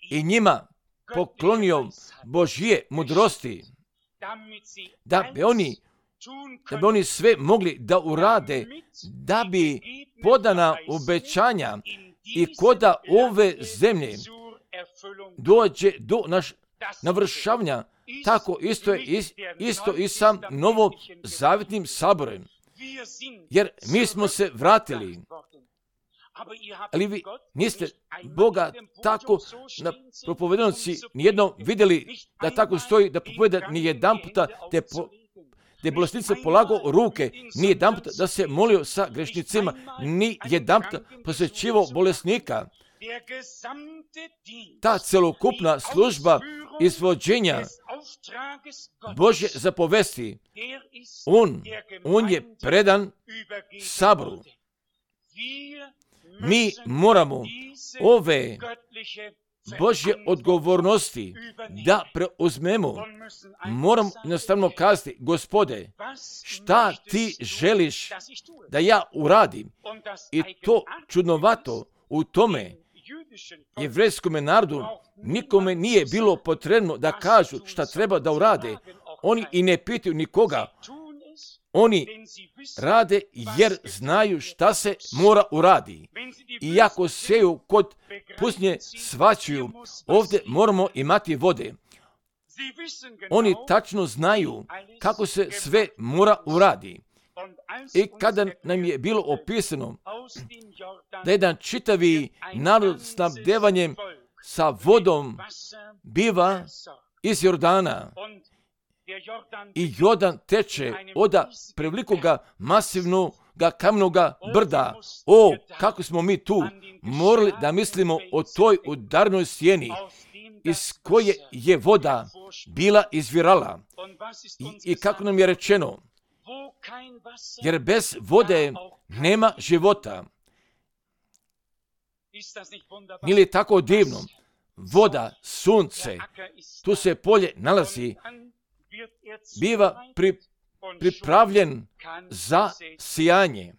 i njima poklonio Božje mudrosti, da bi oni, da bi oni sve mogli da urade, da bi podana obećanja i koda ove zemlje dođe do naš navršavanja. Tako isto je isto i sa novozavjetnim saborem. Jer mi smo se vratili. Ali vi niste Boga tako na propovedanoci nijednom vidjeli da tako stoji, da propoveda ni jedan puta te, po, te bolesnice polagao ruke, ni jedan puta da se molio sa grešnicima, ni jedan puta posjećivao bolesnika. Ta celokupna služba izvođenja Božje zapovesti, on, on je predan saboru. Mi moramo ove Božje odgovornosti da preuzmemo. Moram jednostavno kazati, Gospode, šta ti želiš da ja uradim? I to čudnovato u tome jevrejskome narodu nikome nije bilo potrebno da kažu šta treba da urade. Oni i ne pitaju nikoga. Oni rade jer znaju šta se mora uradi. Iako seju kod pustinje svačuju, ovdje moramo imati vode. Oni tačno znaju kako se sve mora uradi. I kada nam je bilo opisano da jedan čitavi narod snabdevanjem sa vodom biva iz Jordana i Jordan teče od prevelikoga masivnog kamenog brda. O, kako smo mi tu morali da mislimo o toj udarnoj sjeni iz koje je voda bila izvirala. I, i kako nam je rečeno, jer bez vode nema života. Nije li tako divno? Voda, sunce, tu se polje nalazi, biva pri, pripravljen za sijanje.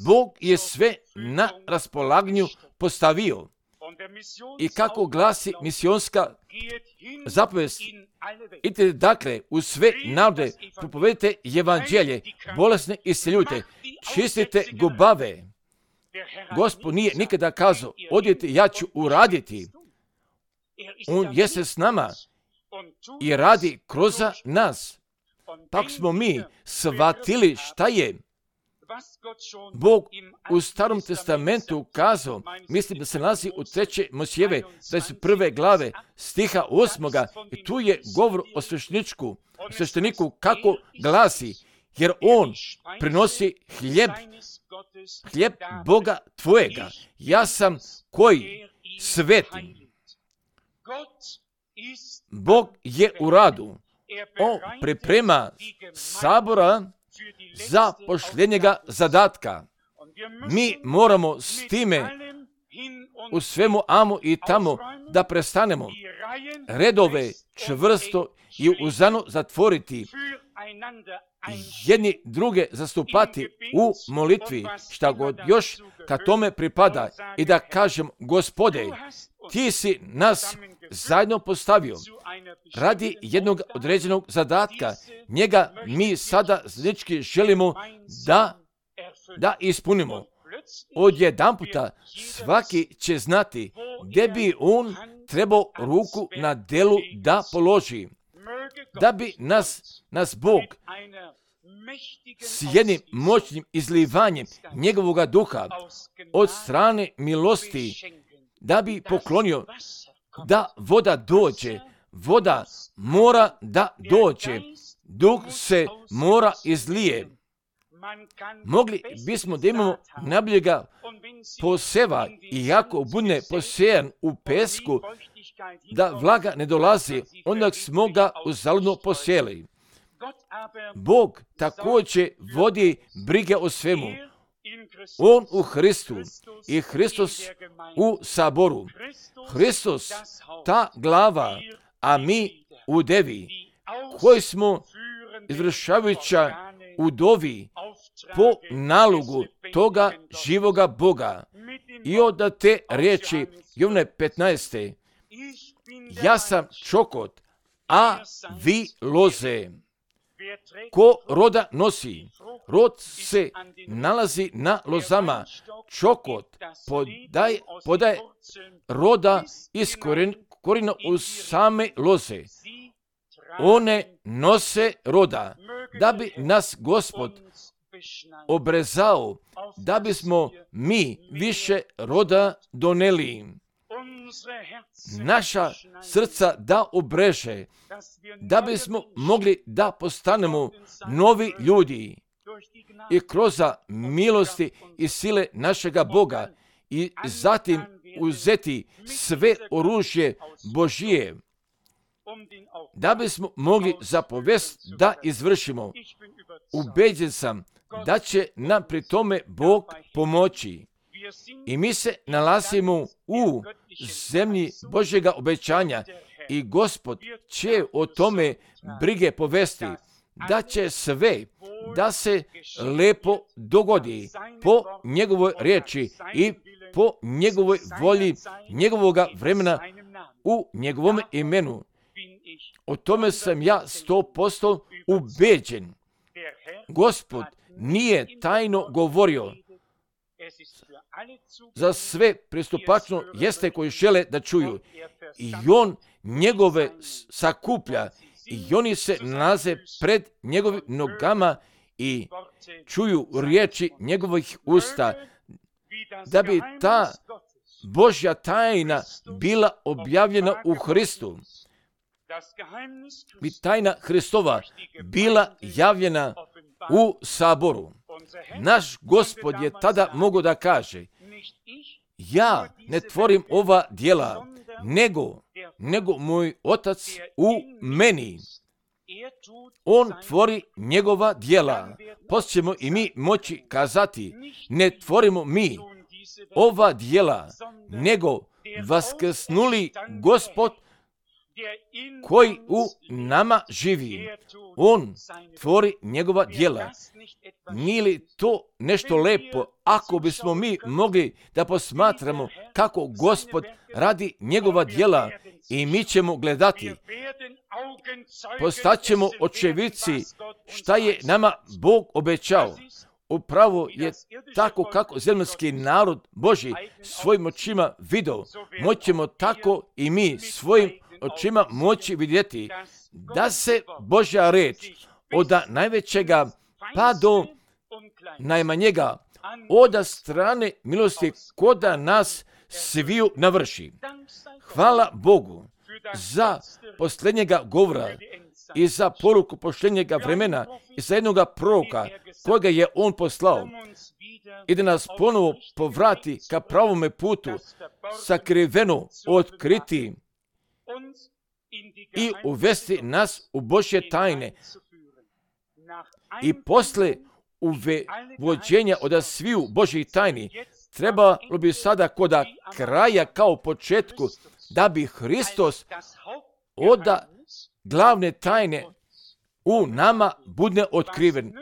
Bog je sve na raspolaganju postavio. I kako glasi misionska zapovest, idite dakle u sve narode, propovedite evanđelje, bolesne isceljujte, čistite gubave. Gospod nije nikada kazao, odite, ja ću uraditi. On jeste s nama i radi kroz nas. Tako smo mi shvatili šta je Bog u Starom testamentu kazao, mislim da se nalazi u treće Mojsijeve, dvadeset prve glave, stiha osmoga, i tu je govor o svešteniku, o svešteniku kako glasi, jer on prinosi hljeb, hljeb Boga tvojega. Ja sam koji sveti. Bog je u radu. On priprema sabora za pošljenjega zadatka. Mi moramo s time u svemu amo i tamo da prestanemo redove čvrsto i uzano zatvoriti, jedni druge zastupati u molitvi, šta god još ka tome pripada, i da kažem, Gospode, ti si nas zajedno postavio radi jednog određenog zadatka. Njega mi sada zajednički želimo da, da ispunimo. Odjedanputa svaki će znati gdje bi on trebao ruku na delu da položi. Da bi nas, nas Bog s jednim moćnim izlivanjem njegovog duha od strane milosti, da bi poklonio da voda dođe. Voda mora da dođe. Duh se mora izlije. Mogli bismo da imamo najboljega poseva, iako bude posejan u pesku, da vlaga ne dolazi, onda smo ga uzaludno posijeli. Bog također vodi brige o svemu. On u Hristu i Hristos u saboru. Hristos, ta glava, a mi u devi, koji smo izvršavajuća u dovi po nalogu toga živoga Boga. I od te riječi Jovane petnaeste. Ja sam čokot, a vi loze. Ko roda nosi? Rod se nalazi na lozama. Čokot podaje, podaje roda iz korina u same loze. One nose roda, da bi nas Gospod obrezao, da bismo mi više roda doneli. Naša srca da obreže, da bismo mogli da postanemo novi ljudi i kroz milosti i sile našega Boga i zatim uzeti sve oružje Božije, da bismo mogli zapovest da izvršimo. Ubeđen sam da će nam pri tome Bog pomoći. I mi se nalazimo u zemlji Božjega obećanja i Gospod će o tome brige povesti, da će sve da se lepo dogodi po njegovoj riječi i po njegovoj volji, njegovoga vremena u njegovom imenu. O tome sam ja sto posto ubeđen. Gospod nije tajno govorio. Za sve pristupačno jeste koji žele da čuju. I on njegove sakuplja i oni se nalaze pred njegovim nogama i čuju riječi njegovih usta, da bi ta Božja tajna bila objavljena u Hristu. Bi tajna Hristova bila javljena u saboru. Naš Gospod je tada mogao da kaže, ja ne tvorim ova djela, nego, nego moj Otac u meni. On tvori njegova djela. Poslije ćemo i mi moći kazati, ne tvorimo mi ova djela, nego vaskrsnuli Gospod koji u nama živi. On tvori njegova djela. Nije li to nešto lepo ako bismo mi mogli da posmatramo kako Gospod radi njegova djela i mi ćemo gledati. Postaćemo očevici šta je nama Bog obećao. Upravo je tako kako zemaljski narod Božji svojim očima vidio. Moćemo tako i mi svojim očima moći vidjeti da se Božja reč od najvećega pa do najmanjega od strane milosti koda nas sviju navrši. Hvala Bogu za posljednjega govora i za poruku posljednjega vremena i za jednoga proroka kojega je on poslao i da nas ponovo povrati ka pravome putu, sakriveno otkriti i uvesti nas u Božje tajne. I posle uvođenja od sviju Božjih tajni trebalo bi sada koda kraja kao početku da bi Hristos od glavne tajne u nama bude otkriven.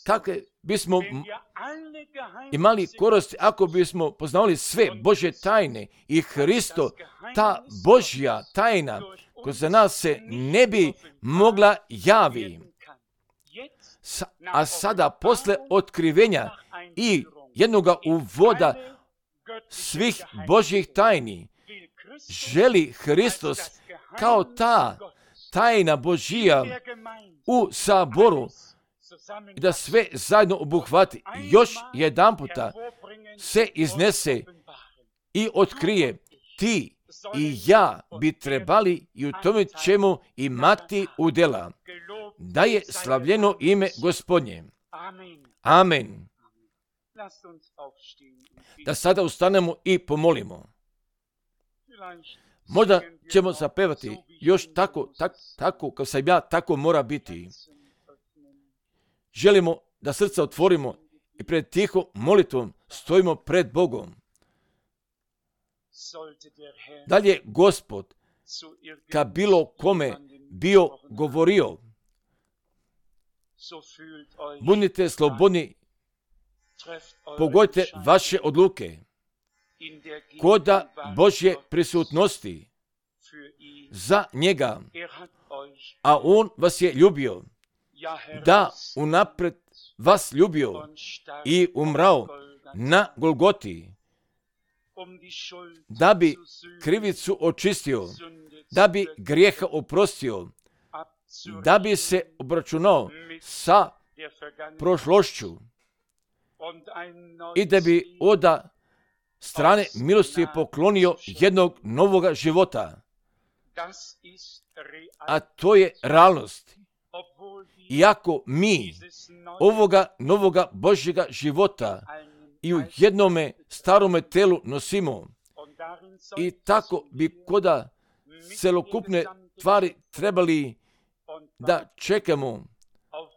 Kakve bismo imali koristi ako bismo poznavali sve Božje tajne i Hristo, ta Božja tajna koja za nas se ne bi mogla javi. A sada posle otkrivenja i jednoga uvoda svih Božjih tajni želi Hristos kao ta tajna Božija u saboru da sve zajedno obuhvati. Još jedan puta se iznese i otkrije. Ti i ja bi trebali i u tome ćemo imati udjela. Da je slavljeno ime Gospodnje. Amen. Da sada ustanemo i pomolimo. Možda ćemo zapevati još tako, tako, tako kao sam ja, tako mora biti. Želimo da srca otvorimo i pred tihom molitvom stojimo pred Bogom. Da li je Gospod ka bilo kome bio govorio, budite slobodni, pogodite vaše odluke koda Božje prisutnosti za njega, a on vas je ljubio, da unapred vas ljubio i umrao na Golgoti, da bi krivicu očistio, da bi grijeha oprostio, da bi se obračunao sa prošlošću i da bi od strane milosti poklonio jednog novoga života. A to je realnost. Iako mi ovoga novoga Božjega života i u jednome starome telu nosimo i tako bi koda celokupne tvari trebali da čekamo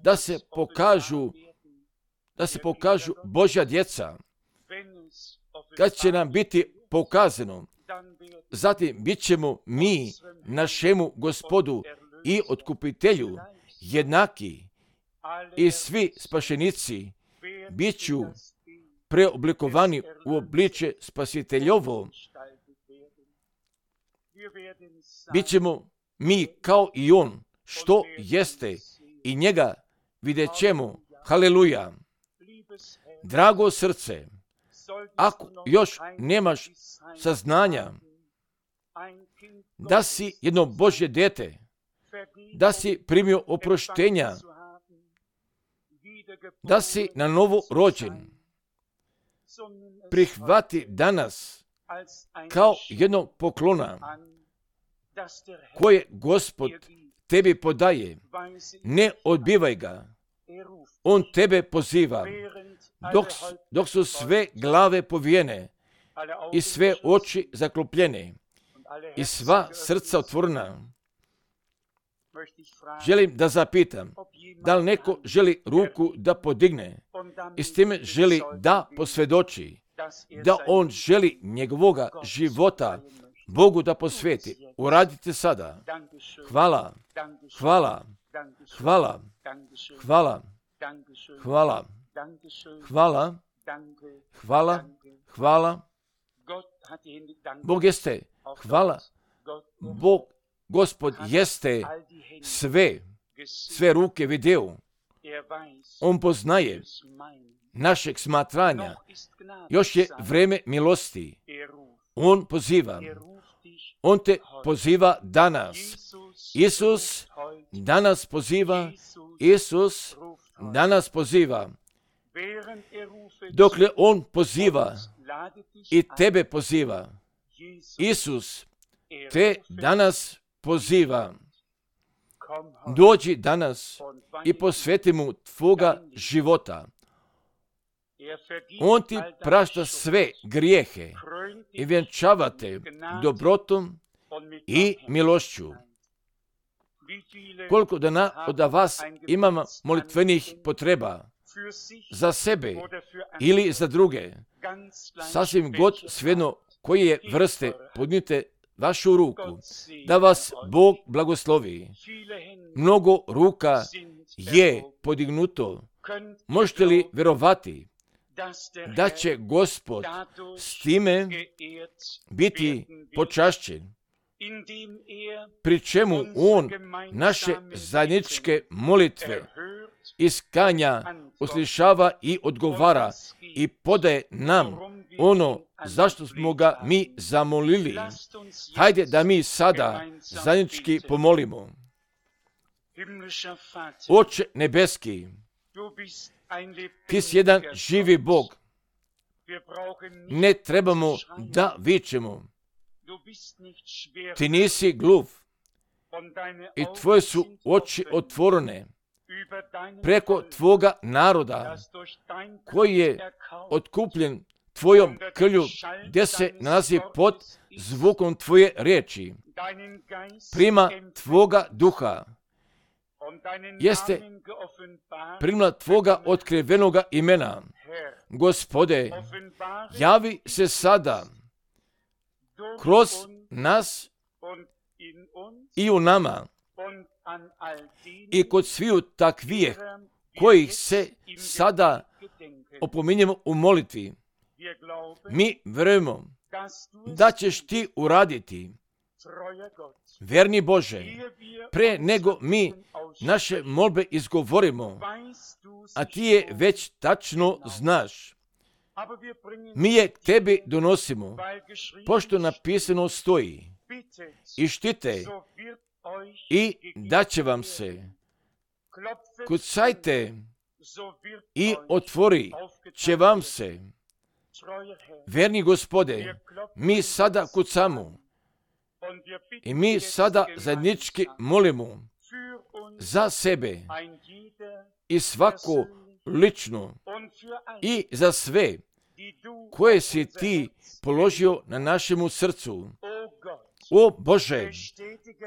da se pokažu da se pokažu Božja djeca. Kad će nam biti pokazano, zatim bit ćemo mi našemu Gospodu i otkupitelju jednaki i svi spašenici bit ću preoblikovani u obliče spasiteljovo. Bićemo mi kao i on što jeste i njega vidjet ćemo. Haleluja. Drago srce, ako još nemaš saznanja da si jedno Božje dijete, da si primio oproštenja, da si na novo rođen, prihvati danas kao jednog poklona koje Gospod tebi podaje. Ne odbivaj ga. On tebe poziva. Dok, dok su sve glave povijene i sve oči zaklopljene i sva srca otvorena, želim da zapitam, da li neko želi ruku da podigne i s time želi da posvjedoči da on želi njegovoga života Bogu da posveti. Uradite sada. Hvala, hvala, hvala, hvala, hvala, hvala, hvala, hvala. Bog jeste, hvala. Bog, Gospod jeste sve, sve ruke vidio. On poznaje našeg smatranja. Još je vreme milosti. On poziva. On te poziva danas. Isus danas poziva. Isus danas poziva. Dokle on poziva i tebe poziva, Isus te danas poziva. Dođi danas i posveti mu tvoga života. On ti prašta sve grijehe i vjenčava te dobrotom i milošću. Koliko dana od vas imamo molitvenih potreba za sebe ili za druge, sasvim god svejedno koje vrste, podnite vašu ruku, da vas Bog blagoslovi. Mnogo ruka je podignuto. Možete li vjerovati da će Gospod s time biti počašćen, pri čemu on naše zajedničke molitve iskanja uslišava i odgovara i podaje nam ono zašto smo ga mi zamolili. Hajde da mi sada zajednički pomolimo. Oče nebeski, ti si jedan živi Bog. Ne trebamo da vičemo. Ti nisi gluv i tvoje su oči otvorene preko tvoga naroda koji je otkupljen tvojom krvlju, gdje se nalazi pod zvukom tvoje riječi. Prima tvoga duha. Jeste primila tvoga otkrivenoga imena. Gospode, javi se sada kroz nas i u nama i kod sviju takvih kojih se sada opominjemo u molitvi. Mi vjerujemo da ćeš ti uraditi, verni Bože, pre nego mi naše molbe izgovorimo, a ti je već tačno znaš. Mi je k tebi donosimo, pošto napisano stoji, i štite i daće vam se. Kucajte i otvori će vam se. Verni Gospode, mi sada kucamo i mi sada zajednički molimo za sebe i svako lično i za sve koje si ti položio na našemu srcu. O Bože,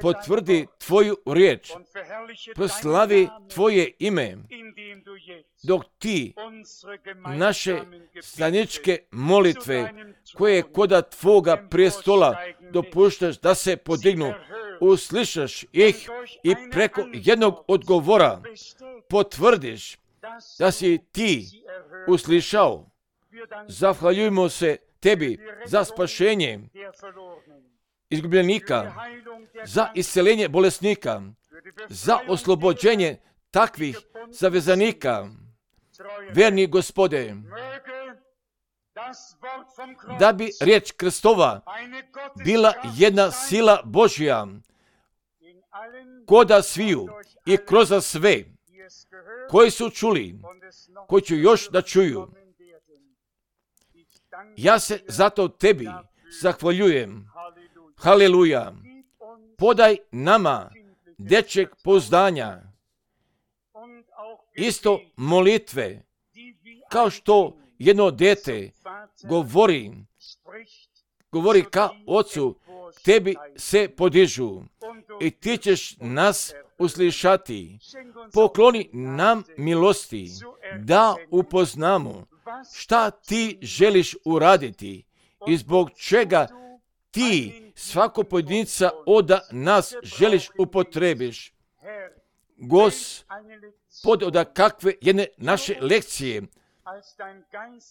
potvrdi tvoju riječ, proslavi tvoje ime, dok ti naše zajedničke molitve koje koda tvoga prijestola dopuštaš da se podignu, uslišaš ih i preko jednog odgovora potvrdiš da si ti uslišao. Zahvaljujemo se tebi za spašenje izgubljenika, za isceljenje bolesnika, za oslobođenje takvih zavezanika. Verni Gospode, da bi riječ Kristova bila jedna sila Božja koda sviju i kroz sve koji su čuli, koji će još da čuju. Ja se zato tebi zahvaljujem. Haleluja. Podaj nama dječjeg pouzdanja, isto molitve, kao što jedno dete govori, govori ka ocu, tebi se podižu i ti ćeš nas uslišati. Pokloni nam milosti da upoznamo šta ti želiš uraditi i zbog čega ti svako pojedinca od nas želiš upotrebiš. Gospod, od kakve jedne naše lekcije,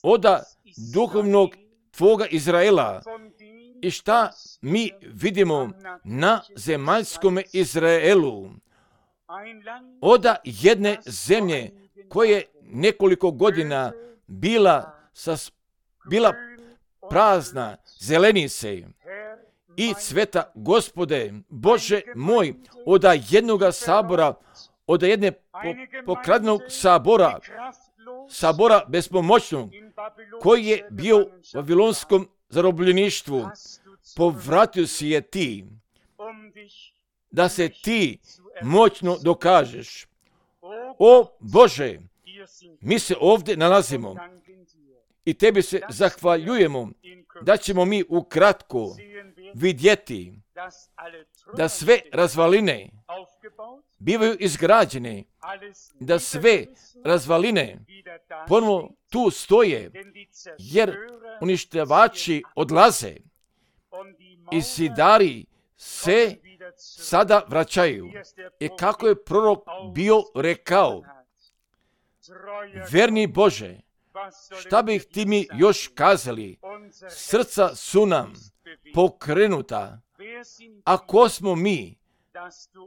od duhovnog tvoga Izraela, i šta mi vidimo na zemaljskom Izraelu, od jedne zemlje koje nekoliko godina bila, sas, bila prazna zelenice i cveta. Gospode, Bože moj, od jednoga sabora, od jedne po, pokradnog sabora, sabora bespomoćnog, koji je bio u babilonskom zarobljeništvu, povratio si je ti, da se ti moćno dokažeš. O Bože, mi se ovdje nalazimo i tebi se zahvaljujemo da ćemo mi ukratko vidjeti da sve razvaline bivaju izgrađene, da sve razvaline ponovo tu stoje, jer uništavači odlaze i zidari se sada vraćaju. I kako je prorok bio rekao, verni Bože, šta bih ti mi još kazali, srca su nam pokrenuta, ako smo mi,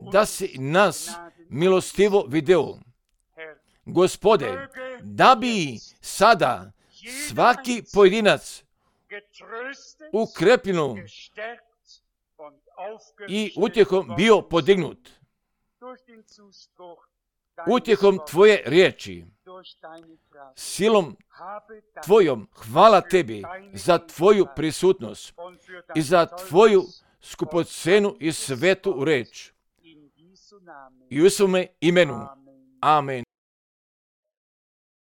da si nas milostivo video. Gospode, da bi sada svaki pojedinac ukrepljeno i utjehom bio podignut, utjehom tvoje riječi, silom tvojom, hvala tebi za tvoju prisutnost i za tvoju skupocenu i svetu reč. I u svome imenu. Amen.